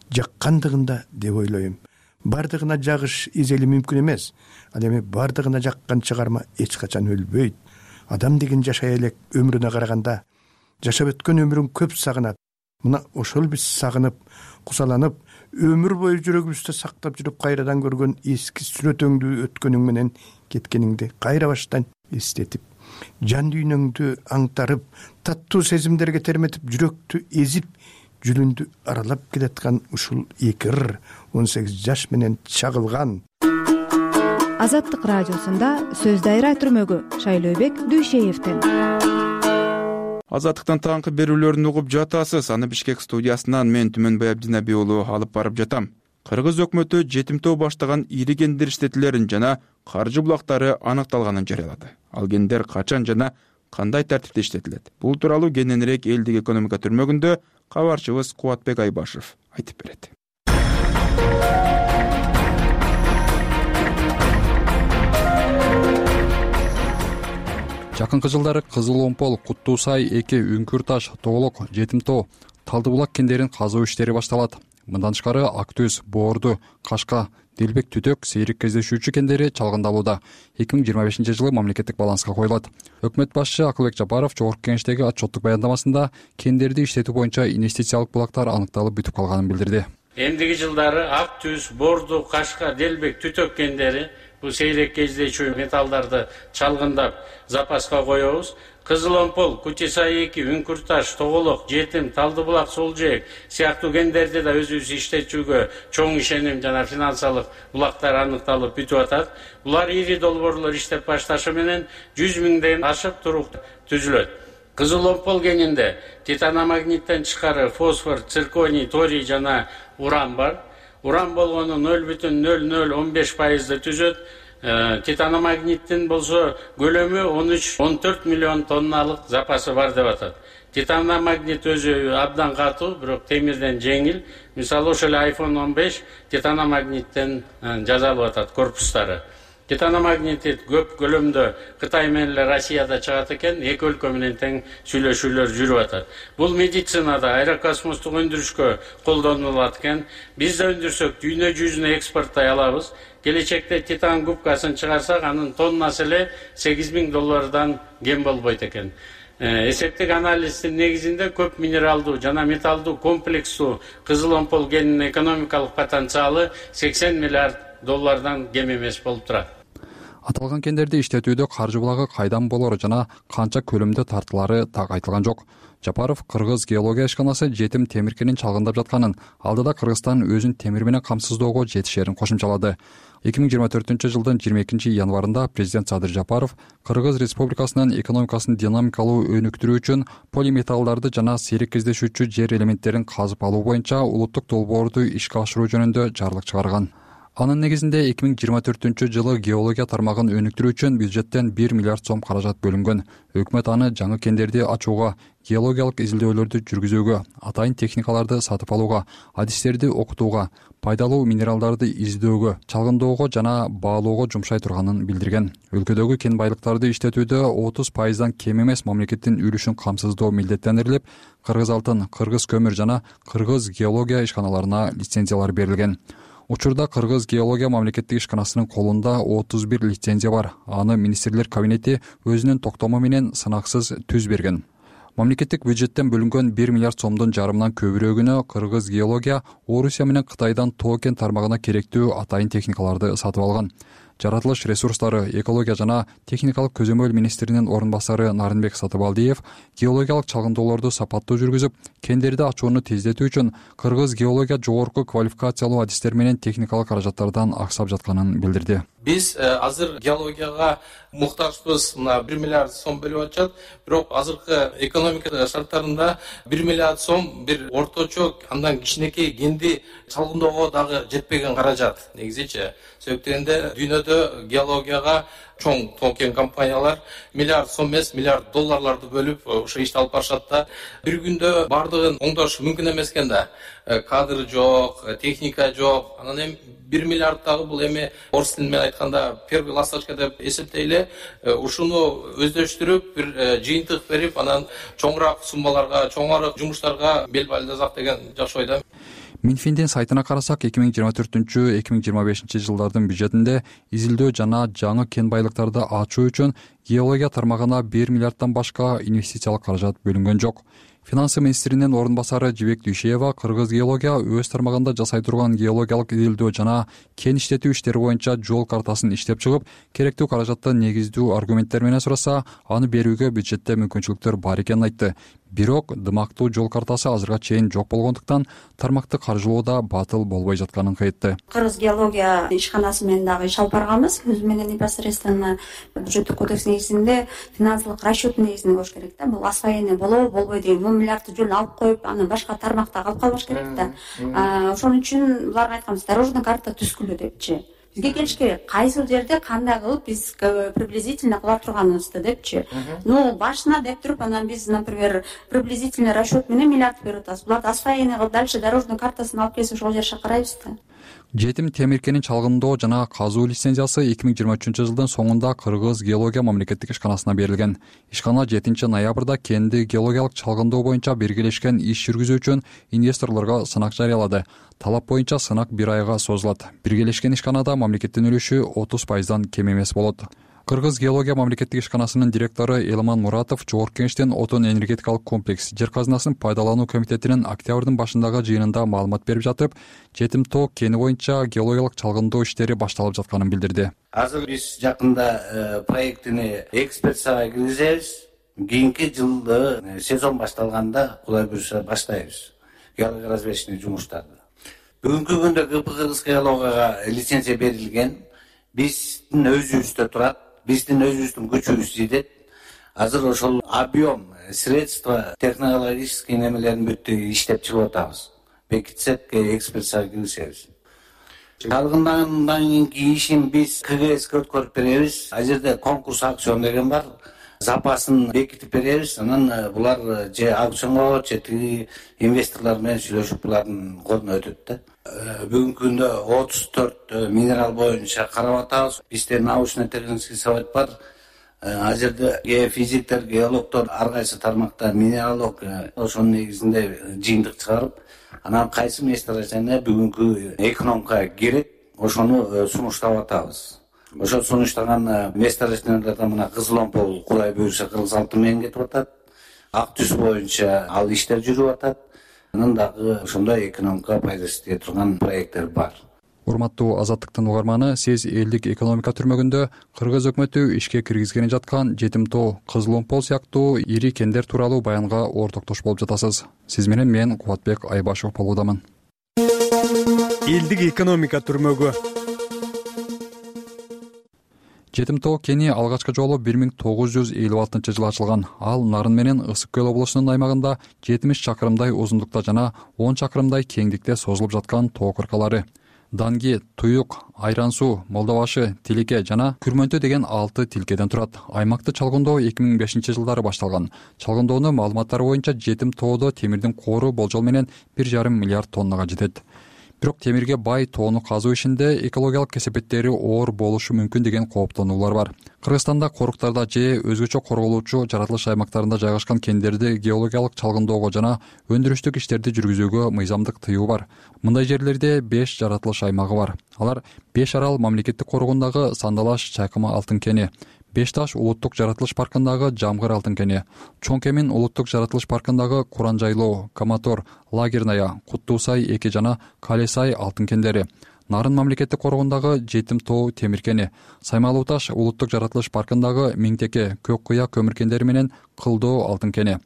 жаккандыгында деп ойлойм. Бардыгына жагыш изели мүмкүн эмес. Ал эми бардыгына жаккан чыгарма эч качан өлбөйт. Адам деген жашай элек өмүрүнө караганда, жашап өткөн өмүрүн көп сагынат. Мына ошол биз сагынып, кусаланып, өмүр бою жүрөгүбүздө сактап жүрүп кайрадан көргөн эски сүрөтөңдүү өткөнүң менен кеткениңди кайра баштан эстетип, жан дүйнөңдү аңтарып, таттуу сезимдерге терметип, жүрөктү эзип, жүрүндү аралап келаткан ушул эки ыр 18 жаш менен чагылган. Азаттык радиосунда сөз дайра түрмөгү Шайлообек Дүйшеевден. Азаттыктан таңкы берүүлөрүн угуп жатасыз. Аны Бишкек студиясынан мен Түмөнбай Абдинаби уулу алып барып жатам. Кыргыз өкмөтү жетимтөө баштаган ири гендер иштетүүлөрүн жана каржы булактары аныкталганын жарыялады. Ал гендер качан жана кандай тартипте иштетилет? Бул тууралуу кененирээк элдик экономика түрмөгүндө кабарчыбыз Кубатбек Айбашев айтып берет. Жакынкы жылдары Кызыл Омпол, Куттуу Сай, Эки, Үңкүр Таш, Тоголок, Жетимтоо, Талды булак кендерин казуу иштери башталат. Мындан тышкары Ак Түз, Боорду, Кашка, Делбек, Түтөк, сейрек кездешүүчү кендери чалгындалууда. 2025 жылы мамлекеттик баланска коюлат. Өкмөт башчы Акылбек Жапаров Жогорку Кеңештеги отчеттук баяндамасында кендерди иштетүү боюнча инвестициялык булактар аныкталып бүтүп калганын билдирди. Эмдиги жылдары Ак Түз, Боорду, Кашка, Делбек, Түтөк кендери бул сейрек кездешүү металлдарды чалгындап запаска коебуз. Кызыл Омпол, Кутисай 2, Үңкүр Таш, Тоголок, Жетим, Талды булак, Солжээк сыяктуу кендерди да өзүбүз иштетүүгө чоң ишеним жана финансылык булактар аныкталып бүтүп атат. Булар ири долбоорлор иштеп башташы менен 100 миңден ашып турук түзүлөт. Кызыл Омпол кенинде титаномагниттен тышкары фосфор, цирконий, торий жана уран бар. Уран болгону 0,0015% түзөт. Титаномагниттин болсо көлөмү 13-14 миллион тонналык запасы бар деп атат. Титаномагнит өзү абдан катуу, бирок темирден жеңил. Мисалы ошол iPhone 15 титаномагниттен жасалып атат корпустары. Титаномагнит көп көлөмдө Кытай менен Россияда чыгат экен, эки өлкө менен тең сүйлөшүүлөр жүрүп атат. Бул медицинада, аэрокосмостук өндүрүшкө колдонулат экен. Биз да өндүрсөк дүйнө жүзүнө экспорттой алабыз. Келечекте титан губкасын чыгарсак, анын тоннасы эле $8,000 кем болбойт экен. Эсептик анализдин негизинде көп минералдуу жана металлдуу комплекстүү Кызыл Омпол кенинин экономикалык потенциалы $80 миллиард кем эмес болуп турат. Аталган кендерди иштетүүдө каржы булагы кайдан болору жана канча көлөмдө тартылары так айтылган жок. Жапаров Кыргыз геология ишканасы жетим темир кенин чалгындап жатканын, алдыда Кыргызстан өзүн темир менен камсыздоого жетишерин кошумчалады. 2024 жылдын 22 январында президент Садыр Жапаров Кыргыз Республикасынын экономикасын динамикалуу өнүктүрүү үчүн полиметаллдарды жана сейрек кездешүүчү жер элементтерин казып алуу боюнча улуттук долбоорду ишке ашыруу жөнүндө жарлык чыгарган. Анын негизинде 2024-жылы геология тармагын өнүктүрүү үчүн бюджеттен 1 миллиард сом каражат бөлүнгөн. Өкмөт аны жаңы кендерди ачууга, геологиялык изилдөөлөрдү жүргүзүүгө, атайын техникаларды сатып алууга, адистерди окутууга, пайдалуу минералдарды издөөгө, чалгындоого жана баалоого жумшай турганын билдирген. Өлкөдөгү кен байлыктарды иштетүүдө 30% кем эмес мамлекеттин үлүшүн камсыздоо милдеттендирилип, Кыргыз алтын, Кыргыз көмүр жана Кыргыз геология ишканаларына лицензиялар берилген. Учурда Кыргыз геология мамлекеттик ишканасынын колунда 31 лицензия бар. Аны министрлер кабинети өзүнүн токтому менен сынаксыз түз берген. Мамлекеттик бюджеттен бөлүнгөн 1 миллиард сомдун жарымынан көбүрөөгүнө Кыргыз геология Орусия менен Кытайдан тоо кен тармагына керектүү атайын техникаларды сатып алган. Жаратылыш ресурстары, экология жана техникалык көзөмөл министринин орун басары Нарынбек Сатыбалдиев геологиялык чалгындоолорду сапаттуу жүргүзүп, кендерди ачууну тездетүү үчүн Кыргыз геология жогорку квалификациялуу адистер менен техникалык каражаттардан аксап жатканын билдирди. Биз азыр геологияга муктажбыз. Мына 1 миллиард сом бөлүп атышат. Бирок азыркы экономика шарттарында 1 миллиард сом бир орточо, андан кичинекей кенди чалгындоого дагы жетпеген каражат. Негизичи себептенде дүйнөдө геологияга чоң тоо кен компаниялар миллиард сом эмес, миллиард долларларды бөлүп ошо ишти алып барышат да. Бир күндө бардыгын оңдош мүмкүн эмес экен да. Кадр жок, техника жок. Анан эми 1 миллиард дагы бул эми орус тили менен айтканда первый ласточка деп эсептейли. Ушуну өздөштүрүп, бир жыйынтык берип, анан чоңураак суммаларга, чоңураак жумуштарга бел байласак деген жакшы ойдомун. Минфиндин сайтына карасак, 2024-2025 жылдардын бюджетинде изилдөө жана жаңы кен байлыктарды ачуу үчүн геология тармагына 1 миллиарддан башка инвестициялык каражат бөлүнгөн жок. Финансы министринин орун басары Жибек Дүйшеева Кыргыз геология өз тармагында жасай турган геологиялык изилдөө жана кен иштетүү иштери боюнча жол картасын иштеп чыгып, керектүү каражатты негиздүү аргументтер менен сураса, аны берүүгө бюджетте мүмкүнчүлүктөр бар экенин айтты. Бирок дымактуу жол картасы азырга чейин жок болгондуктан тармакты каржылоодо батыл болбой жатканын айтты. Кыргыз геология ишканасы менен дагы иш алып барганбыз. Өзү менен непосредственно бюджеттик кодекс негизинде финансылык расчет негизинде болуш керек да. Бул освоение болобу, болбойт деген 1 миллиардты жөн алып коюп, аны башка тармакта алып калбаш керек да. Ошон үчүн буларга айтканбыз, дорожный карта түзгүлө депчи. Бизге келиш керек. Кайсы жерде кандай кылып биз приблизительно кыла турганыбызды депчи. Башына деп туруп, анан биз, например, приблизительный расчет менен миллиард берип атабыз. Буларды освоение кылып, дальше дорожный картасын алып келсе, ошол жерге карайбыз да. Жетим темир кенин чалгындоо жана казуу лицензиясы 2023-жылдын соңунда Кыргыз геология мамлекеттик ишканасына берилген. Ишкана 7-ноябрда кенди геологиялык чалгындоо боюнча биргелешкен иш жүргүзүү үчүн инвесторлорго сынак жарыялады. Талап боюнча сынак 1 айга созулат. Биргелешкен ишканада мамлекеттин үлүшү 30% кем эмес болот. Кыргыз геология мамлекеттик ишканасынын директору Элман Муратов Жогорку Кеңештин отун энергетикалык комплекс жер казынасын пайдалануу комитетинин октябрдын башындагы жыйынында маалымат берип жатып, Жетим тоо кени боюнча геологиялык чалгындоо иштери башталып жатканын билдирди. Азыр биз жакында проектини экспертизага киргизебиз. Кийинки жылы сезон башталганда Кудай буйруса баштайбыз геология разведочный жумуштарды. Бүгүнкү күндө Кыргыз геологияга лицензия берилген. Биздин өзүбүздө турат. Биздин өзүбүздүн күчүбүз жетет. Азыр ошол объем, средства, технологический немелерин бүттү иштеп чыгып атабыз. Бекитсек, экспертизага киргизебиз. Чалгындандан кийинки ишин биз КГСке өткөрүп беребиз. Ал жерде конкурс аукцион деген бар. Запасын бекитип беребиз. Анан булар же аукционго, же тиги инвесторлор менен сүйлөшүп булардын колуна өтөт да. Бүгүнкү күндө 34 минерал боюнча карап атабыз. Бизде научно-технический совет бар. Ал жерде геофизиктер, геологдор ар кайсы тармакта минералдык ошонун негизинде жыйынтык чыгарып, анан кайсы месторождение бүгүнкү экономикага кирет, ошону сунуштап атабыз. Ошол сунуштаган месторождениялардан мына Кызыл Омпол Кудай буйруса Кыргыз алтын менен кетип атат. Ак түз боюнча ал иштер жүрүп атат. Анан дагы ошондой экономика пайдасы тие турган проекттер бар. Урматтуу Азаттыктын угарманы, сиз элдик экономика түрмөгүндө Кыргыз өкмөтү ишке киргизгени жаткан Жетим тоо, Кызыл Омпол сыяктуу ири кендер тууралуу баянга ортоктош болуп жатасыз. Сиз менен мен Кубатбек Айбашев болуудамын. Элдик экономика түрмөгү. Жетим тоо кени алгачкы жолу 1956-жылы ачылган. Ал Нарын менен Ысык көл облусунун аймагында 70 чакырымдай узундукта жана 10 чакырымдай кеңдикте созулуп жаткан тоо кыркалары. данги, туюк, айран суу, молдобашы, тилике жана күрмөнтө деген 6 тилкеден турат. Аймакты чалгындоо 2005-жылдары башталган. Чалгындоонун маалыматтары боюнча жетим тоодо темирдин коору болжол менен 1,5 миллиард тоннага жетет. Бирок темирге бай тоону казуу ишинде экологиялык кесепеттери оор болушу мүмкүн деген кооптонуулар бар. Кыргызстанда коруктарда же өзгөчө корголуучу жаратылыш аймактарында жайгашкан кендерди геологиялык чалгындоого жана өндүрүштүк иштерди жүргүзүүгө мыйзамдык тыюу бар. Мындай жерлерде 5 жаратылыш аймагы бар. Алар Беш Арал мамлекеттик коргондагы Сандалаш Чайкама алтын кени, Беш Таш улуттук жаратылыш паркындагы Жамгыр алтын кени, Чоң Кемин улуттук жаратылыш паркындагы Куран жайлоо, Каматор, Лагерная, Куттуусай 2 жана Калесай алтын кендери, Нарын мамлекеттик коргондагы Жетим тоо темир кени, Саймалуу Таш улуттук жаратылыш паркындагы Миңтеке, Көк Кыя көмүр кендери менен Кылдоо алтын кени.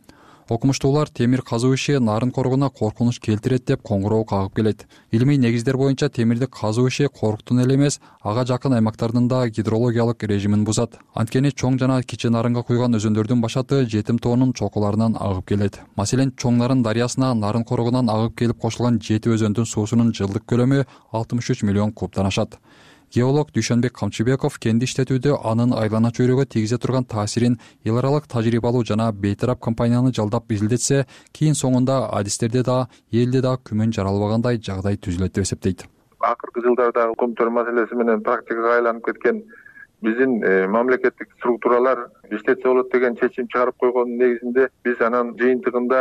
Окумуштуулар темир казуу иши Нарын коргоуна коркунуч келтирет деп коңгуроо кагып келет. Илимий негиздер боюнча темирди казуу иши коруктун эле эмес, ага жакын аймактардын да гидрологиялык режимин бузат. Анткени Чоң жана Кичи Нарынга куйган өзөндөрдүн башаты Жетим тоонун чокуларынан агып келет. Маселен, Чоң Нарын дарыясына Нарын коргоунан агып келип кошулган 7 өзөндүн суусунун жылдык көлөмү 63 миллион кубтан ашат. Геолог Дүйшөнбек Камчыбеков кенди иштетүүдө анын айлана чөйрөгө тийгизе турган таасирин эл аралык тажрыйбалуу жана бейтарап компанияны жалдап изилдетсе, кийин соңунда адистерде да, элде да күмөн жаралбагандай жагдай түзүлөт деп эсептейт. Акыркы жылдардагы көмтөр маселеси менен практикага айланып кеткен биздин мамлекеттик структуралар иштетсе болот деген чечим чыгарып койгондун негизинде биз анан жыйынтыгында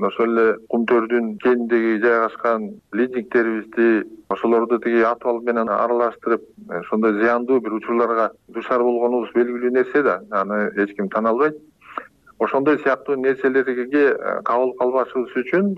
ошол эле кумтөрдүн кенидеги жайгашкан лизингтерибизди ошолорду тиги атыбал менен аралаштырып ошондой зыяндуу бир учурларга дуушар болгонубуз белгилүү нерсе да, аны эч ким тана албайт. Ошондой сыяктуу нерселерге кабыл калбашыбыз үчүн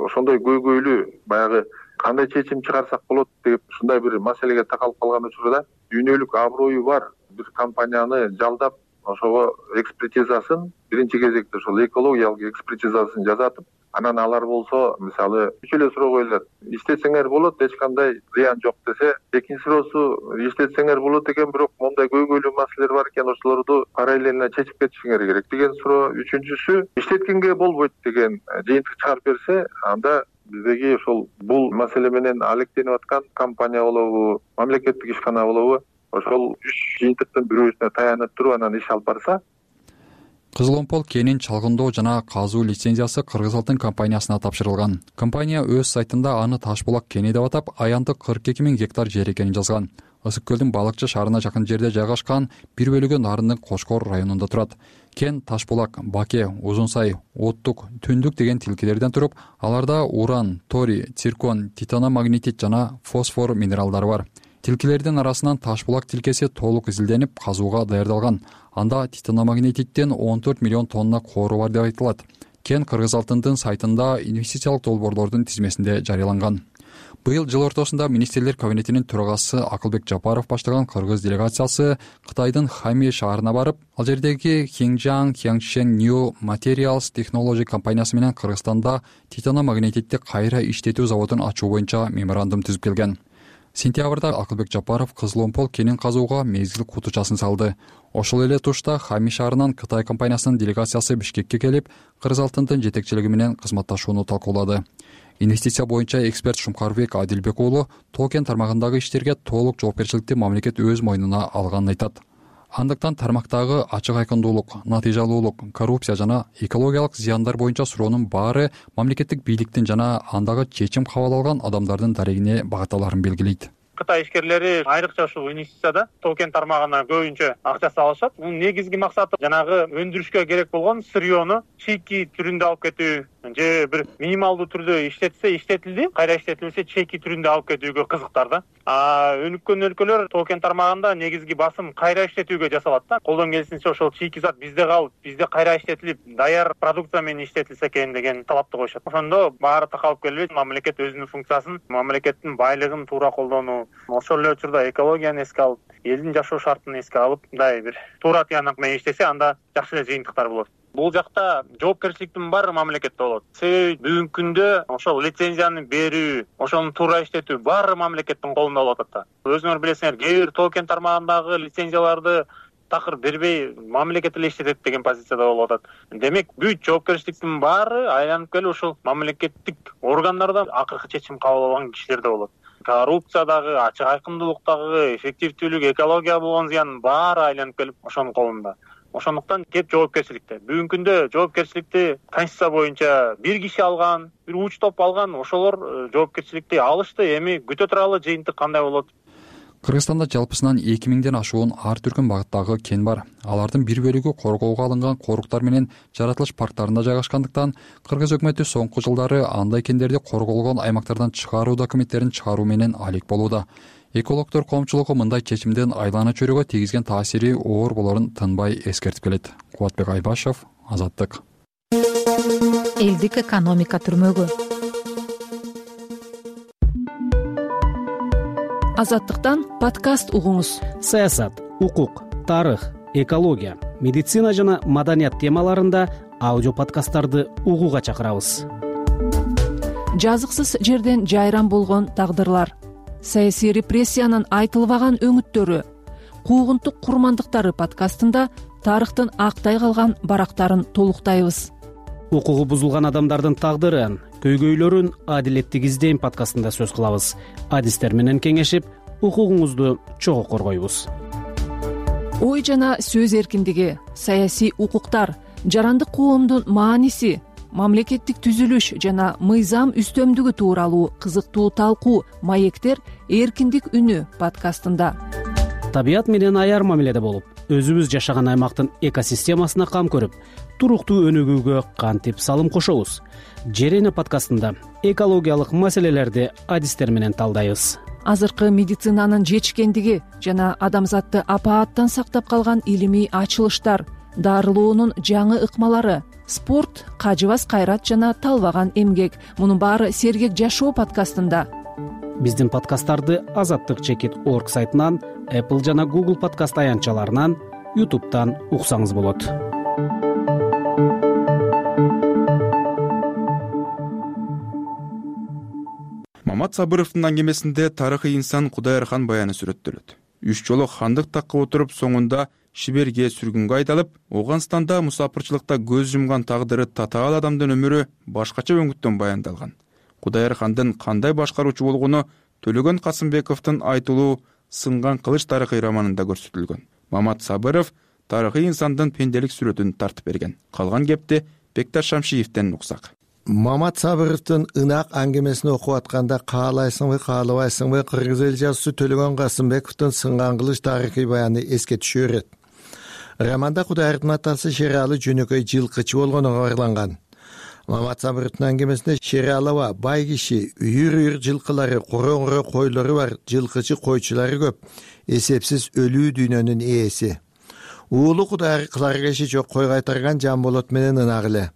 ошондой көйгөйлүү баягы кандай чечим чыгарсак болот деп ушундай бир маселеге такалып калган учурда дүйнөлүк аброю бар бир компанияны жалдап ошого экспертизасын биринчи кезекте ошол экологиялык экспертизасын жасатып, анан алар болсо мисалы үч эле суроо коюлат: иштетсеңер болот, эч кандай зыян жок десе, экинчи суроосу иштетсеңер болот экен, бирок моундай көйгөйлүү маселелер бар экен, ошолорду параллельно чечип кетишиңер керек деген суроо. Үчүнчүсү иштеткенге болбойт деген жыйынтык чыгарып берсе, анда биздеги ошол бул маселе менен алектенип аткан компания болобу, мамлекеттик ишкана болобу, ошол үч жыйынтыктын бирөөсүнө таянып туруп анан иш алып барса. Кызыл Омпол кенин чалгындоо жана казуу лицензиясы Кыргыз алтын компаниясына тапшырылган. Компания өз сайтында аны Ташбулак кени деп атап, аянтык 42 000 гектар жер экенин жазган. Ысык көлдүн Балыкчы шаарына жакын жерде жайгашкан, бир бөлүгү Нарындын Кошкор районунда турат. Кен Ташбулак, Баке, Узунсай, Оттук, Түндүк деген тилкелерден туруп, аларда уран, торий, циркон, титаномагнетит жана фосфор минералдары бар. Тилкелердин арасынан Ташбулак тилкеси толук изилденип, казууга даярдалган. Анда титаномагнетиттен 14 миллион тонна коору бар деп айтылат. Кен Кыргыз алтындын сайтында инвестициялык долбоорлордун тизмесинде жарыяланган. Быйыл жыл ортосунда министрлер кабинетинин төрагасы Акылбек Жапаров баштаган кыргыз делегациясы Кытайдын Хами шаарына барып, ал жердеги Хинжан Qiangchen New Materials Technology компаниясы менен Кыргызстанда титаномагнетитти кайра иштетүү заводун ачуу боюнча меморандум түзүп келген. Сентябрда Акылбек Жапаров Кызыл Омпол кенин казууга мезгил кутучасын салды. Ошол эле тушта Хами шаарынан Кытай компаниясынын делегациясы Бишкекке келип, Кыргыз алтындын жетекчилиги менен кызматташууну талкуулады. Инвестиция боюнча эксперт Шумкарбек Адилбек уулу тоо кен тармагындагы иштерге толук жоопкерчиликти мамлекет өз мойнуна алганын айтат. Андыктан тармактагы ачык айкындуулук, натыйжалуулук, коррупция жана экологиялык зыяндар боюнча суроонун баары мамлекеттик бийликтин жана андагы чечим кабыл алган адамдардын дарегине багытталарын белгилейт. Кытай ишкерлери айрыкча ушул инвестицияда тоо кен тармагына көбүнчө акча салышат. Мунун негизги максаты жанагы өндүрүшкө керек болгон сырьёну чейки түрүндө алып кетүү же бир минималдуу түрдө иштетсе иштетилди, кайра иштетилбесе чейки түрүндө алып кетүүгө кызыктар да. Өнүккөн өлкөлөр тоо кен тармагында негизги басым кайра иштетүүгө жасалат да. Колдон келишинче ошол чейки зат бизде калып, бизде кайра иштетилип, даяр продукция менен иштетилсе экен деген талапты коюшат. Ошондо баары такалып келбейт, мамлекет өзүнүн функциясын, мамлекеттин байлыгын туура колдонуу, ошол эле учурда экологияны эске алып, элдин жашоо шартын эске алып, мындай бир туура тыянак менен иштесе, анда жакшы эле жыйынтыктар болот. Бул жакта жоопкерчиликтин баары мамлекетте болот. Себеби бүгүнкү күндө ошол лицензияны берүү, ошону туура иштетүү баары мамлекеттин колунда болуп атат да. Өзүңөр билесиңер, кээ бир тоо кен тармагындагы лицензияларды такыр бербей мамлекет эле иштетет деген позицияда болуп атат. Демек бүт жоопкерчиликтин баары айланып келип ушул мамлекеттик органдарда акыркы чечим кабыл алган кишилерде болот. Коррупциядагы, ачык айкындуулуктагы, эффективдүүлүк, экологияга болгон зыяндын баары айланып келип ошонун колунда. Ошондуктан кеп жоопкерчиликте. Бүгүнкү күндө жоопкерчиликти конституция боюнча бир киши алган, бир уч топ алган, ошолор жоопкерчиликти алышты. Эми күтө туралы жыйынтык кандай болот? Кыргызстанда жалпысынан 2000ден ашуун ар түркүн багыттагы кен бар. Алардын бир бөлүгү коргоого алынган коруктар менен жаратылыш парктарында жайгашкандыктан Кыргыз өкмөтү соңку жылдары андай кендерди корголгон аймактардан чыгаруу документтерин чыгаруу менен алек болууда. Экологдор коомчулугу мындай чечимдин айлана чөйрөгө тийгизген таасири оор болорун тынбай эскертип келет. Кубатбек Айбашев, Азаттык. Элдик экономика түрмөгү. Азаттыктан подкаст угуңуз. Саясат, укук, тарых, экология, медицина жана маданият темаларында аудио подкасттарды угууга чакырабыз. Жазыксыз жерден жайран болгон тагдырлар, саясий репрессиянын айтылбаган өңүттөрү, куугунтук курмандыктары подкастында тарыхтын актай калган барактарын толуктайбыз. Укугу бузулган адамдардын тагдырын, көйгөйлөрүн адилеттик издейм подкастында сөз кылабыз. Адистер менен кеңешип, укугуңузду чогуу коргойбуз. Ой жана сөз эркиндиги, саясий укуктар, жарандык коомдун мааниси, мамлекеттик түзүлүш жана мыйзам үстөмдүгү тууралуу кызыктуу талкуу маектер эркиндик үнү подкастында. Табият менен аяр мамиледе болуп, өзүбүз жашаган аймактын экосистемасына кам көрүп, туруктуу өнүгүүгө кантип салым кошобуз? Жер эне подкастында экологиялык маселелерди адистер менен талдайбыз. Азыркы медицинанын жетишкендиги жана адамзатты апааттан сактап калган илимий ачылыштар, дарылоонун жаңы ыкмалары, спорт, кажыбас кайрат жана талбаган эмгек. Мунун баары Сергек жашоо подкастында. Биздин подкасттарды azattik.org сайтынан, Apple жана Google подкаст аянтчаларынан, YouTube'дан уксаңыз болот. Мамат Сабыровдун аңгемесинде тарыхый инсан Кудайырхан баяны сүрөттөлөт. 3 жолу хандык такка отуруп, соңунда Шиберге сүргүнгө айдалып, Ооганстанда мусапырчылыкта көз жумган тагдыры татаал адамдын өмүрү башкача өңүттөн баяндалган. Кудайырхандын кандай башкаруучу болгону Төлөгөн Касымбековдун айтылуу Сынган кылыч тарыхый романында көрсөтүлгөн. Мамат Сабыров тарыхый инсандын пенделик сүрөтүн тартып берген. Калган кепти Бекташ Шамшиевден уксак. Мамат Сабыровдун ынак аңгемесин окуп атканда каалайсыңбы, каалабайсыңбы, кыргыз эл жазуучусу Төлөгөн Касымбековдун Сынган кылыч тарыхый баяны эске түшө берет. Романда Кудайырдын атасы Шералы жөнөкөй жылкычы болгону кабарланган. Мамат Сабыровдун аңгемесинде Шералова бай киши, үйүр жылкылары, короңро койлору бар, жылкычы койчулары көп, эсепсиз өлүү дүйнөнүн ээси. Уулу Кудайыр кылар кеши жок, кой кайтарган Жамболот менен ынак эле.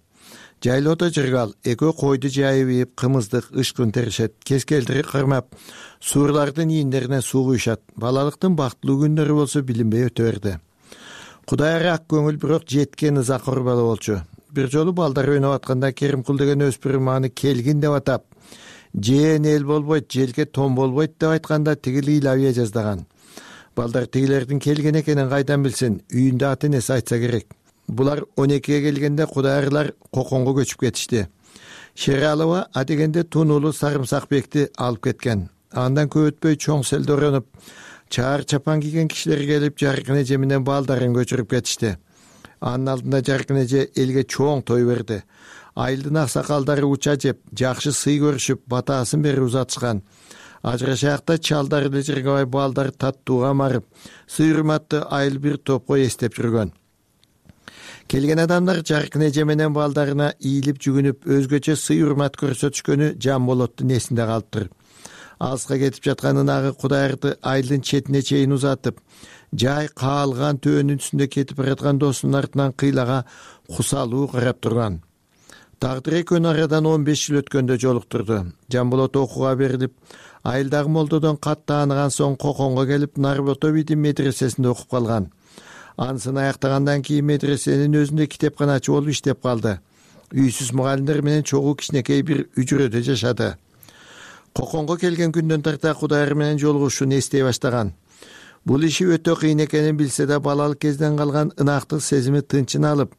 Жайлоодо жыргал, экөө койду жайып ийип, кымыздык, ышкын теришет, кез келтири кырмап, суурлардын ийиндерине суу куйшат. Балалыктын бактылуу күндөрү болсо билинбей өтө берди. Кудайыр ак көңүл, бирок жеткен ызакыр бала болчу. Бир жолу балдар ойноп атканда Керимкул деген өспүрүм аны келгин деп атап, жээн эл болбойт, желке том болбойт деп айтканда тигил ыйлабыя жаздаган. Балдар тигилердин келген экенин кайдан билсин, үйүндө ата энеси айтса керек. Булар 12-ге келгенде Кудайырлар Коконго көчүп кетишти. Шералова адегенде Тунулу Сарымсакбекти алып кеткен. Андан көп өтпөй чоң селде оронуп, чаар чапан кийген кишилер келип, Жаркын эже менен балдарын көчүрүп кетишти. Анын алдында Жаркын эже элге чоң той берди. Айылдын аксакалдары уча жеп, жакшы сый көрүшүп, батасын берип узатышкан. Ажырашаакта чалдар эле жыргабай балдар таттууга марып, сый урматты айыл бир топко эстеп жүргөн. Келген адамдар Жаркын эже менен балдарына ийилип жүгүнүп, өзгөчө сый урмат көрсөтүшкөнү Жамболоттун эсинде калыптыр. Алыска кетип жаткан ынагы Кудайырды айылдын четине чейин узатып, жай каалган төөнүн үстүндө кетип бараткан досунун артынан кыйлага кусалуу карап турган. Тагдыр экөөнү арадан 15 жыл өткөндө жолуктурду. Жамболот окууга берилип, айылдагы молдодон кат тааныган соң Коконго келип, Нарбото бидин медресесинде окуп калган. Анысын аяктагандан кийин медресенин өзүндө китепканачы болуп иштеп калды. Үйсүз мугалимдер менен чогуу кичинекей бир үчүрөдө жашады. Коконго келген күндөн тарта Кудайыр менен жолугушууну эстей баштаган. Бул иши өтө кыйын экенин билсе да балалык кезден калган ынактык сезими тынчын алып,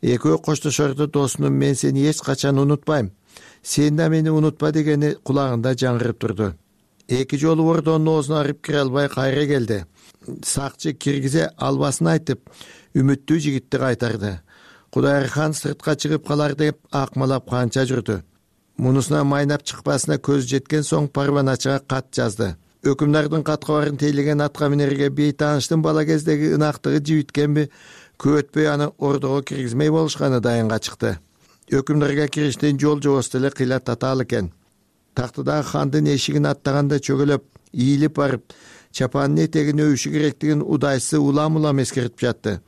экөө коштошордо досунун "Мен сени эч качан унутпайм, сен да мени унутпа" дегени кулагында жаңырып турду. Эки жолу ордонун оозуна арып кире албай кайра келди. Сакчы киргизе албасын айтып, үмүттүү жигитти кайтарды. Кудайырхан сыртка чыгып калар деп акмалап канча жүрдү. Мунусуна майнап чыкпасына көз жеткен соң парваначыга кат жазды. Өкүмдардын каткабарын тейлеген атка минерге бейтааныштын бала кездеги ынактыгы жибиткенби, көп өтпөй аны ордого киргизмей болушканы дайынга чыкты. Өкүмдарга кириштен жол жобосу деле кыйла татаал экен. Тактыдагы хандын эшигин аттаганда чөгөлөп, ийилип барып, чапанын этегин өбүшү керектигин удайсы улам эскертип жатты.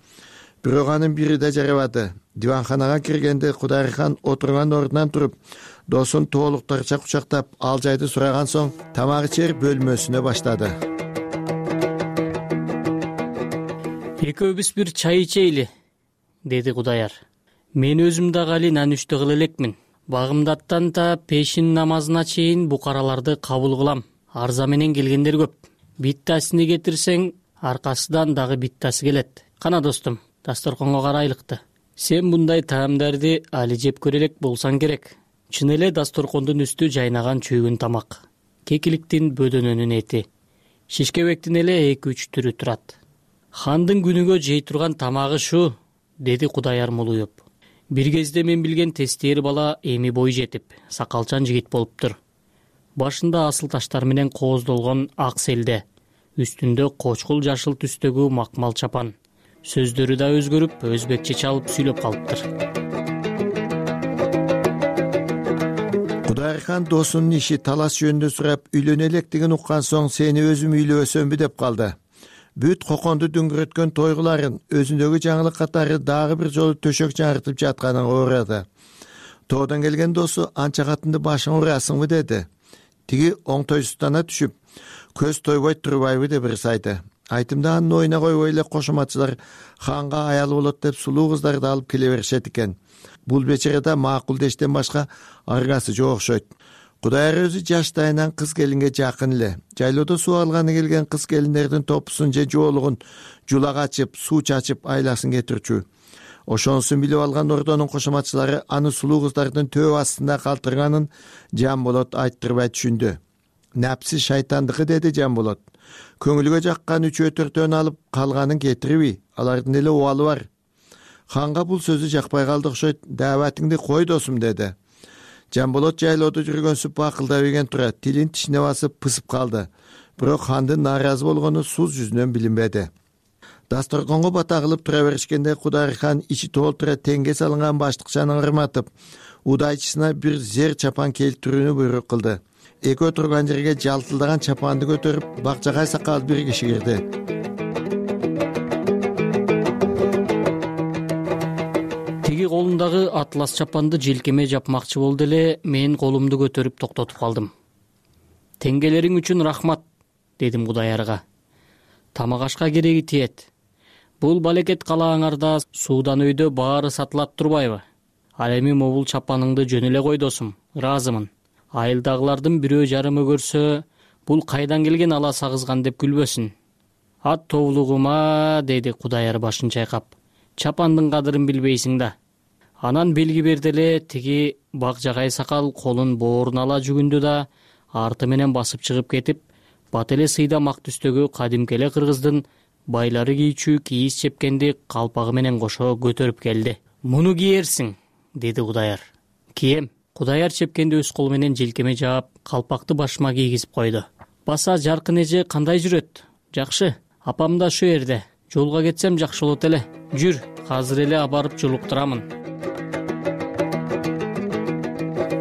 Бирок анын бири да жарабады. Диванханага киргенде Кудайырхан отурган ордунан туруп, досун тоолуктарча кучактап, ал жайды сураган соң тамак ичер бөлмөсүнө баштады. Экөөбүз бир чай ичейли, деди Кудаяр. Мен өзүм дагы али нанүштө кыла элекмин. Багымдаттан да пешин намазына чейин букараларды кабыл кылам. Арза менен келгендер көп. Биттасыны кетирсең, аркасынан дагы биттасы келет. Кана достум, дасторконго карайлыкты. Сен мындай таамдарды али жеп көрө элек болсаң керек. Чын эле дасторкондун үстү жайнаган чөгүн тамак. Кекиликтин бөдөнөнүн эти. Шишкебектин эле 2-3 түрү турат. Хандын күнүгө жей турган тамагы шу, деди Кудаяр мулуюп. Бир кезде мен билген тестери бала эми бой жетип, сакалчан жигит болуптур. Башында асыл таштар менен кооздолгон ак селде, үстүндө кочкул жашыл түстөгү макмал чапан. Сөздөрү да өзгөрүп, өзбекче чалып сүйлөп калыптыр. Кудайырхан досунун иши талаш жөнүндө сурап, үйлөнө электигин уккан соң сени өзүм үйлөбөсөмбү деп калды. Бүт коконду дүңгүрөткөн тойгуларын өзүндөгү жаңылык катары дагы бир жолу төшөк жаңыртып жатканын оорады. Тоодон келген досу анча катынды башың урасыңбы деди. Тиги оңтойсуздана түшүп, көз тойбой турбайбы деп ырсайды. Айтымда анын оюна койбой эле кошоматчылар ханга аялы болот деп сулуу кыздарды алып келе беришет экен. Бул бечерада макул дештен башка аргасы жок окшойт. Кудайыр өзү жаштайынан кыз келинге жакын эле. Жайлоодо суу алганы келген кыз келиндердин топусун же жоолугун жулак ачып, суу чачып айласын кетирчү. Ошонусун билип алган ордонун кошоматчылары аны сулуу кыздардын төө астында калтырганын Жамболот айттырбай түшүндү. Напси шайтандыкы, деди Жамболот. Көңүлгө жаккан 3-4 алып калганын кетириби? Алардын эле убалы бар. Ханга бул сөзү жакпай калды окшойт. Дааватыңды кой досум, деди. Жамболот жайлоодо жүргөнсүп акылдабеген тура тилин тишине басып пысып калды. Бирок хандын нааразы болгону суз жүзүнөн билинбеди. Дасторконго бата кылып тура беришкенде Кудайырхан ичи толтура теңге салынган баштыкчаны ырматып, удайчысына бир зер чапан келтирүүнү буйрук кылды. Экөө турган жерге жалтылдаган чапанды көтөрүп, бакчагай сакал бир киши кирди. Тиги колундагы атлас чапанды желкеме жапмакчы болду эле, мен колумду көтөрүп токтотуп калдым. Теңгелериң үчүн рахмат, дедим Кудаярга. Тамак ашка кереги тиет. Бул балекет калааңарда суудан өйдө баары сатылат турбайбы? Ал эми могул чапаныңды жөн эле кой досум, ыраазымын. Айылдагылардын бирөө жарымы көрсө, бул кайдан келген ала сагызган деп күлбөсүн. Ат тоолугума, деди Кудаяр башын чайкап. Чапандын кадырын билбейсиң да. Анан белги берди эле, тиги Бакжагай сакал колун бооруна ала жүгүндү да, арты менен басып чыгып кетип, бат эле сыйда мак түстөгү кадимки эле кыргыздын байлары кийчү кийиз чепкенди калпагы менен кошо көтөрүп келди. Муну кийерсиң, деди Кудаяр. Кием. Кудаяр чепкенди өз колу менен желкеме жаап, калпакты башыма кийгизип койду. Баса жаркын эже кандай жүрөт? Жакшы. Апам да шу жерде. Жолго кетсем жакшы болот эле. Жүр, азыр эле абарып жулуктурамын.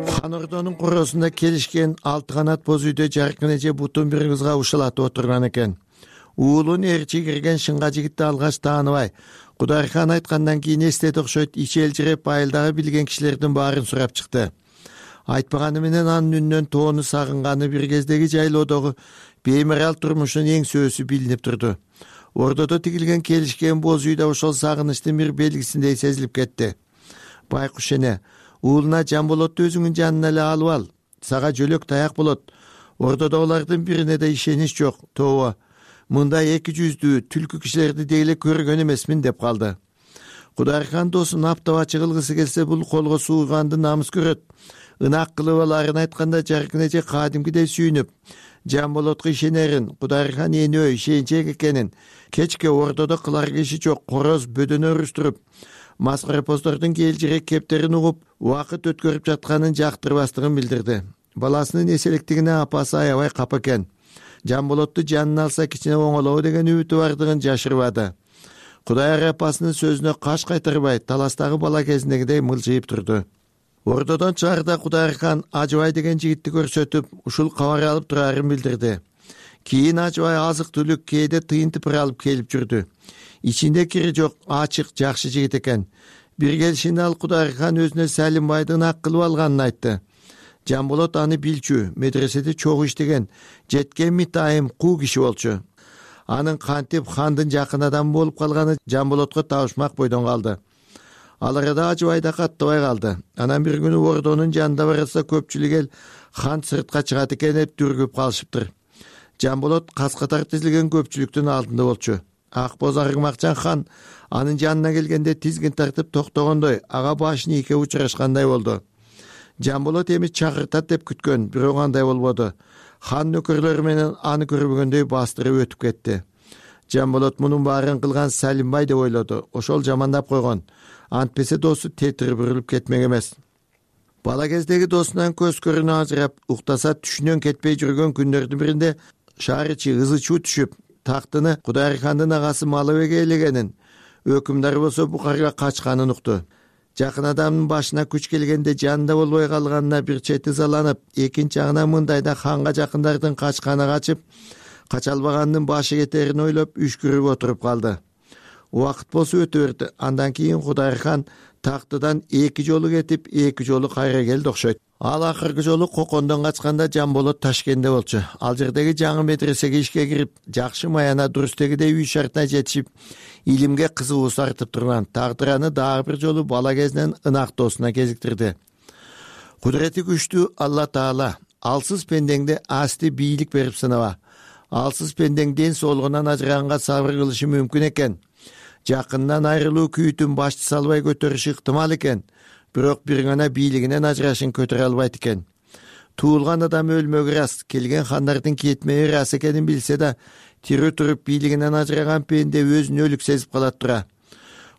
Хан ордонун короосунда келишкен 6 канат боз үйдө жаркын эже бутун бир кызга ушулатып отурган экен. Уулун эрчи кирген шыңга жигитти алгач тааныбай, Кудайырхан айткандан кийин эстеди окшойт, ичи элжиреп айылдагы билген кишилердин баарын сурап чыкты. Айтпаганы менен анын үнүнөн тоону сагынганы бир кездеги жайлоодогу беймарал турмушунун эң сөзү билинип турду. Ордодо тигилген келишкен боз үй да ошол сагынычтын бир белгисиндей сезилип кетти. Байкуш эне, уулуна Жамболотту өзүңүн жанына эле алып ал. Сага жөлөк таяк болот. Ордодогулардын бирине да ишенич жок. Тобо. мындай эки жүздүү түлкү кишилерди дейле көргөн эмесмин деп калды. Кудайырхан досун аптабачы кылгысы келсе бул колго сууганды намыс көрөт. Ынак кылып аларын айтканда жаркын эже кадимкидей сүйүнүп, Жамболотко ишенерин, Кудайырхан энөө ишенчек экенин, кечке ордодо кылар киши жок короз бөдөнө уруштуруп, маскарапоздордун келжирек кептерин угуп, убакыт өткөрүп жатканын жактырбастыгын билдирди. Баласынын эселиктигине апасы аябай капа экен. Жамболотту жанына алса кичине оңолобу деген үмүтү бардыгын жашырбады. Кудайыр апасынын сөзүнө каш кайтарбай, таластагы бала кезиндегидей мылжыйып турду. Ордодон чыгарда Кудайырхан Ажыбай деген жигитти көрсөтүп, ушул кабар алып турарын билдирди. Кийин Ажыбай азык түлүк кээде тыйын тыпыр алып келип жүрдү. Ичинде кири жок, ачык, жакшы жигит экен. Бир келишинде ал Кудайырхан өзүнө Салимбайды ынак кылып алганын айтты. Жамболот аны билчү, медреседе чогуу иштеген, жеткен митайым куу киши болчу. Анын кантип хандын жакын адамы болуп калганы Жамболотко табышмак бойдон калды. Ал арада Ажыбай да каттабай калды. Анан бир күнү ордонун жанында барса көпчүлүк эл хан сыртка чыгат экен деп дүргүп калышыптыр. Жамболот кас катар тизилген көпчүлүктүн алдында болчу. Ак боз Аргымакчан хан анын жанына келгенде тизгин тартып токтогондой, ага башын ийке учурашкандай болду. Жамболот эми чакыртат деп күткөн, бирок андай болбоду. Хан нөкөрлөрү менен аны көрбөгөндөй бастырып өтүп кетти. Жамболот мунун баарын кылган Салимбай деп ойлоду. Ошол жамандап койгон. Антпесе досу тетири бурулуп кетмек эмес. Бала кездеги досунан көз көрүнө ажырап, уктаса түшүнөн кетпей жүргөн күндөрдүн биринде шаарычы Ызычуу түшүп, тактыны Кудайырхандын агасы Малыбек ээлегенин, өкүмдар болсо Бухарга качканын укту. Жакын адамдын башына күч келгенде жанында болбой калганына бир чети ызаланып, экинчи жагынан мындайда ханга жакындардын качканы качып, кача албаганынын башы кетерин ойлоп үшкүрүп отуруп калды. Убакыт болсо өтө берди. Андан кийин Кудайырхан тактыдан эки жолу кетип, эки жолу кайра келди окшойт. Ал акыркы жолу Кокондон качканда Жамболот Ташкентте болчу. Ал жердеги жаңы медресеге ишке кирип, жакшы маяна дурустегидей үй шартына жетишип, илимге кызыгуусу артып турган. Тагдыр аны дагы бир жолу бала кезинен ынак досуна кезиктирди. Кудурети күчтүү Алла Таала алсыз пендеңди асти бийлик берип сынаба. Алсыз пендең ден соолугунан ажыраганга сабыр кылышы мүмкүн экен. Жакындан айрылуу күйүтүн башты салбай көтөрүшү ыктымал экен. Бирок бир гана бийлигинен ажырашын көтөрө албайт экен. Туулган адам өлмөгү рас, келген хандардын кетмеги рас экенин билсе да, тирүү туруп бийлигинен ажыраган пенде өзүн өлүк сезип калат тура.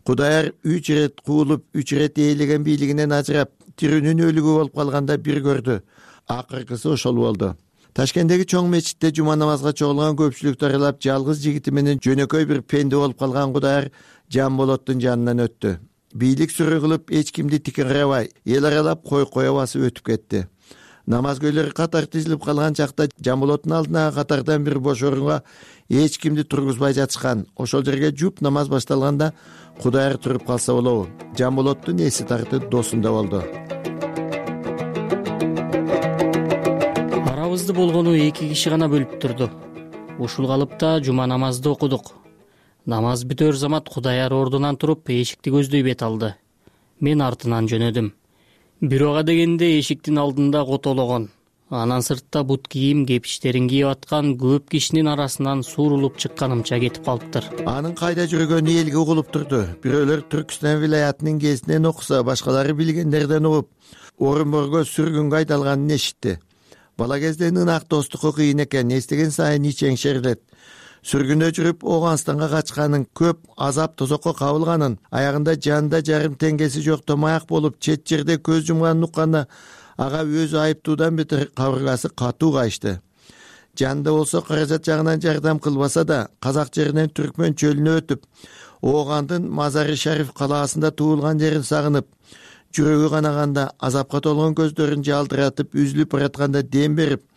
Кудайыр 3 ирет куулуп, 3 ирет ээлеген бийлигинен ажырап, тирүүнүн өлүгү болуп калганда бир көрдү. Акыркысы ошол болду. Ташкенттеги чоң мечитте жума намазга чогулган көпчүлүктү аралап, жалгыз жигити менен жөнөкөй бир пенде болуп калган Кудайыр Жамболоттун жанынан өттү. Бийлик сүрү кылып, эч кимди тикин карабай, эл аралап кой басып өтүп кетти. Намазгөйлөр катар тизилип калган чакта Жамболоттун алдындагы катардан бир бош орунга эч кимди тургузбай жатышкан. Ошол жерге жуп намаз башталганда Кудайыр туруп калса болобу. Жамболоттун эси тартып досунда болду. Арабызды болгону 2 киши гана бөлүп турду. Ушул калыпта жума намазды окудук. Намаз бүтөр замат Кудайыр ордунан туруп эшикти көздөй бет алды. Мен артынан жөнөдүм. Бирөөгө дегенде эшиктин алдында котологон, анан сыртта бут кийим кепиштерин кийип аткан көп кишинин арасынан суурулуп чыкканымча кетип калыптыр. Анын кайда жүргөнү элге угулуп турду. Бирөөлөр Түркүстан вилаятынын кезинен окуса, башкалары билгендерден угуп, Орунборго сүргүнгө айдалганын эшитти. Бала кезден ынак достуку кыйын экен, эстеген сайын ичең шерилет. Сүргүндө жүрүп Оганстанга качканын, көп азап тозокко кабылганын, аягында жанында жарым теңгеси жок томаяк болуп, чет жерде көз жумганын укканда, ага өзү айыптуудан бетер кабыргасы катуу кайышты. Жанында болсо каражат жагынан жардам кылбаса да, казак жеринен Түркмөн чөлүнө өтүп, Огандын Мазари Шариф калаасында туулган жерин сагынып, жүрөгү канаганда, азапка толгон көздөрүн жалтыратып, үзүлүп баратканда дем берип,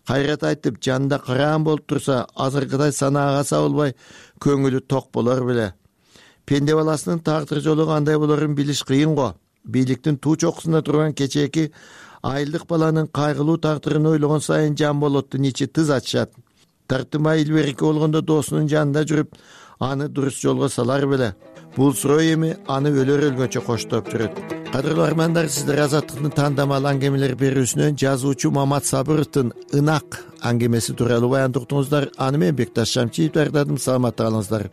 кайрат айтып, жанында караан болуп турса, азыркыдай санаага сабылбай, көңүлү ток болор беле. Пенде баласынын тагдыр жолу кандай болорун билиш кыйын го. Бийликтин туу чокусунда турган кечээки айылдык баланын кайгылуу тагдырын ойлогон сайын Жамболоттун ичи тыз ачышат. тартымай илберки болгондо досунун жанында жүрүп аны дурус жолго салар беле? Бул суроо эми аны өлөр өлгөнчө коштоп жүрөт. Кадырлуу армандар, сиздер Азаттыктын тандамал аңгемелер берүүсүнөн жазуучу Мамат Сабыровдун ынак аңгемеси тууралуу баянды уктуңуздар. Аны мен Бекташ Шамчиев даярдадым. Саламатта калыңыздар.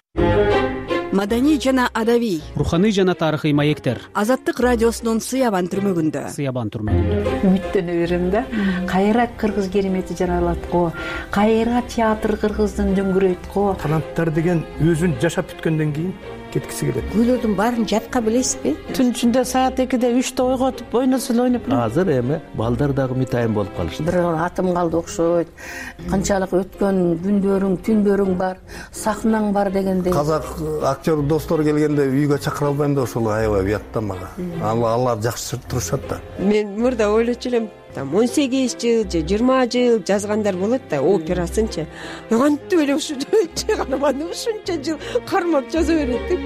Маданий жана адабий, руханий жана тарыхый маектер Азаттык радиосунун Сыябан түрмөгүндө. Үмүттөнө берем да. Кайра кыргыз керемети жаралат го, кайра театр кыргыздын дөңгүрөйт го. Таланттар деген өзүн жашап бүткөндөн кийин кеткиси келет. Күйлөрдүн баарын жатка билесизби? Түн ичинде саат 2-де 3-те ойготуп ойносо эле ойноп. Азыр эми балдар дагы митайын болуп калышты. Бир атым калды окшойт. Канчалык өткөн күндөрүң, түндөрүң бар, сахнаң бар дегендей. Казак актер достор келгенде үйгө чакыра албайм да ошол аябай уят да мага. Алар жакшы турушат да. Мен мурда ойлочу элем, 18 жыл же 20 жыл жазгандар болот да, операсынчы. Кантип эле ушунча карманды, ушунча жыл кармап жаза берет деп.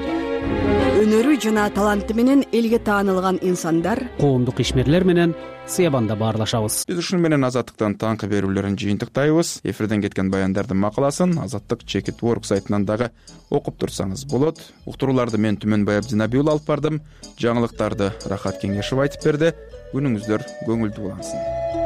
Өнөрү жана таланты менен элге таанылган инсандар, коомдук ишмерлер менен Сыябанда баарлашабыз. Биз ушуну менен Азаттыктан таңкы берүүлөрүн жыйынтыктайбыз. Эфирден кеткен баяндардын макаласын Азаттык Чекит.org сайтынан дагы окуп турсаңыз болот. Уктурууларды мен Түмөнбай Абдинабий уулу алып бардым. Жаңылыктарды Рахат Кеңешев айтып берди. Күнүңүздөр көңүлдүү улансын.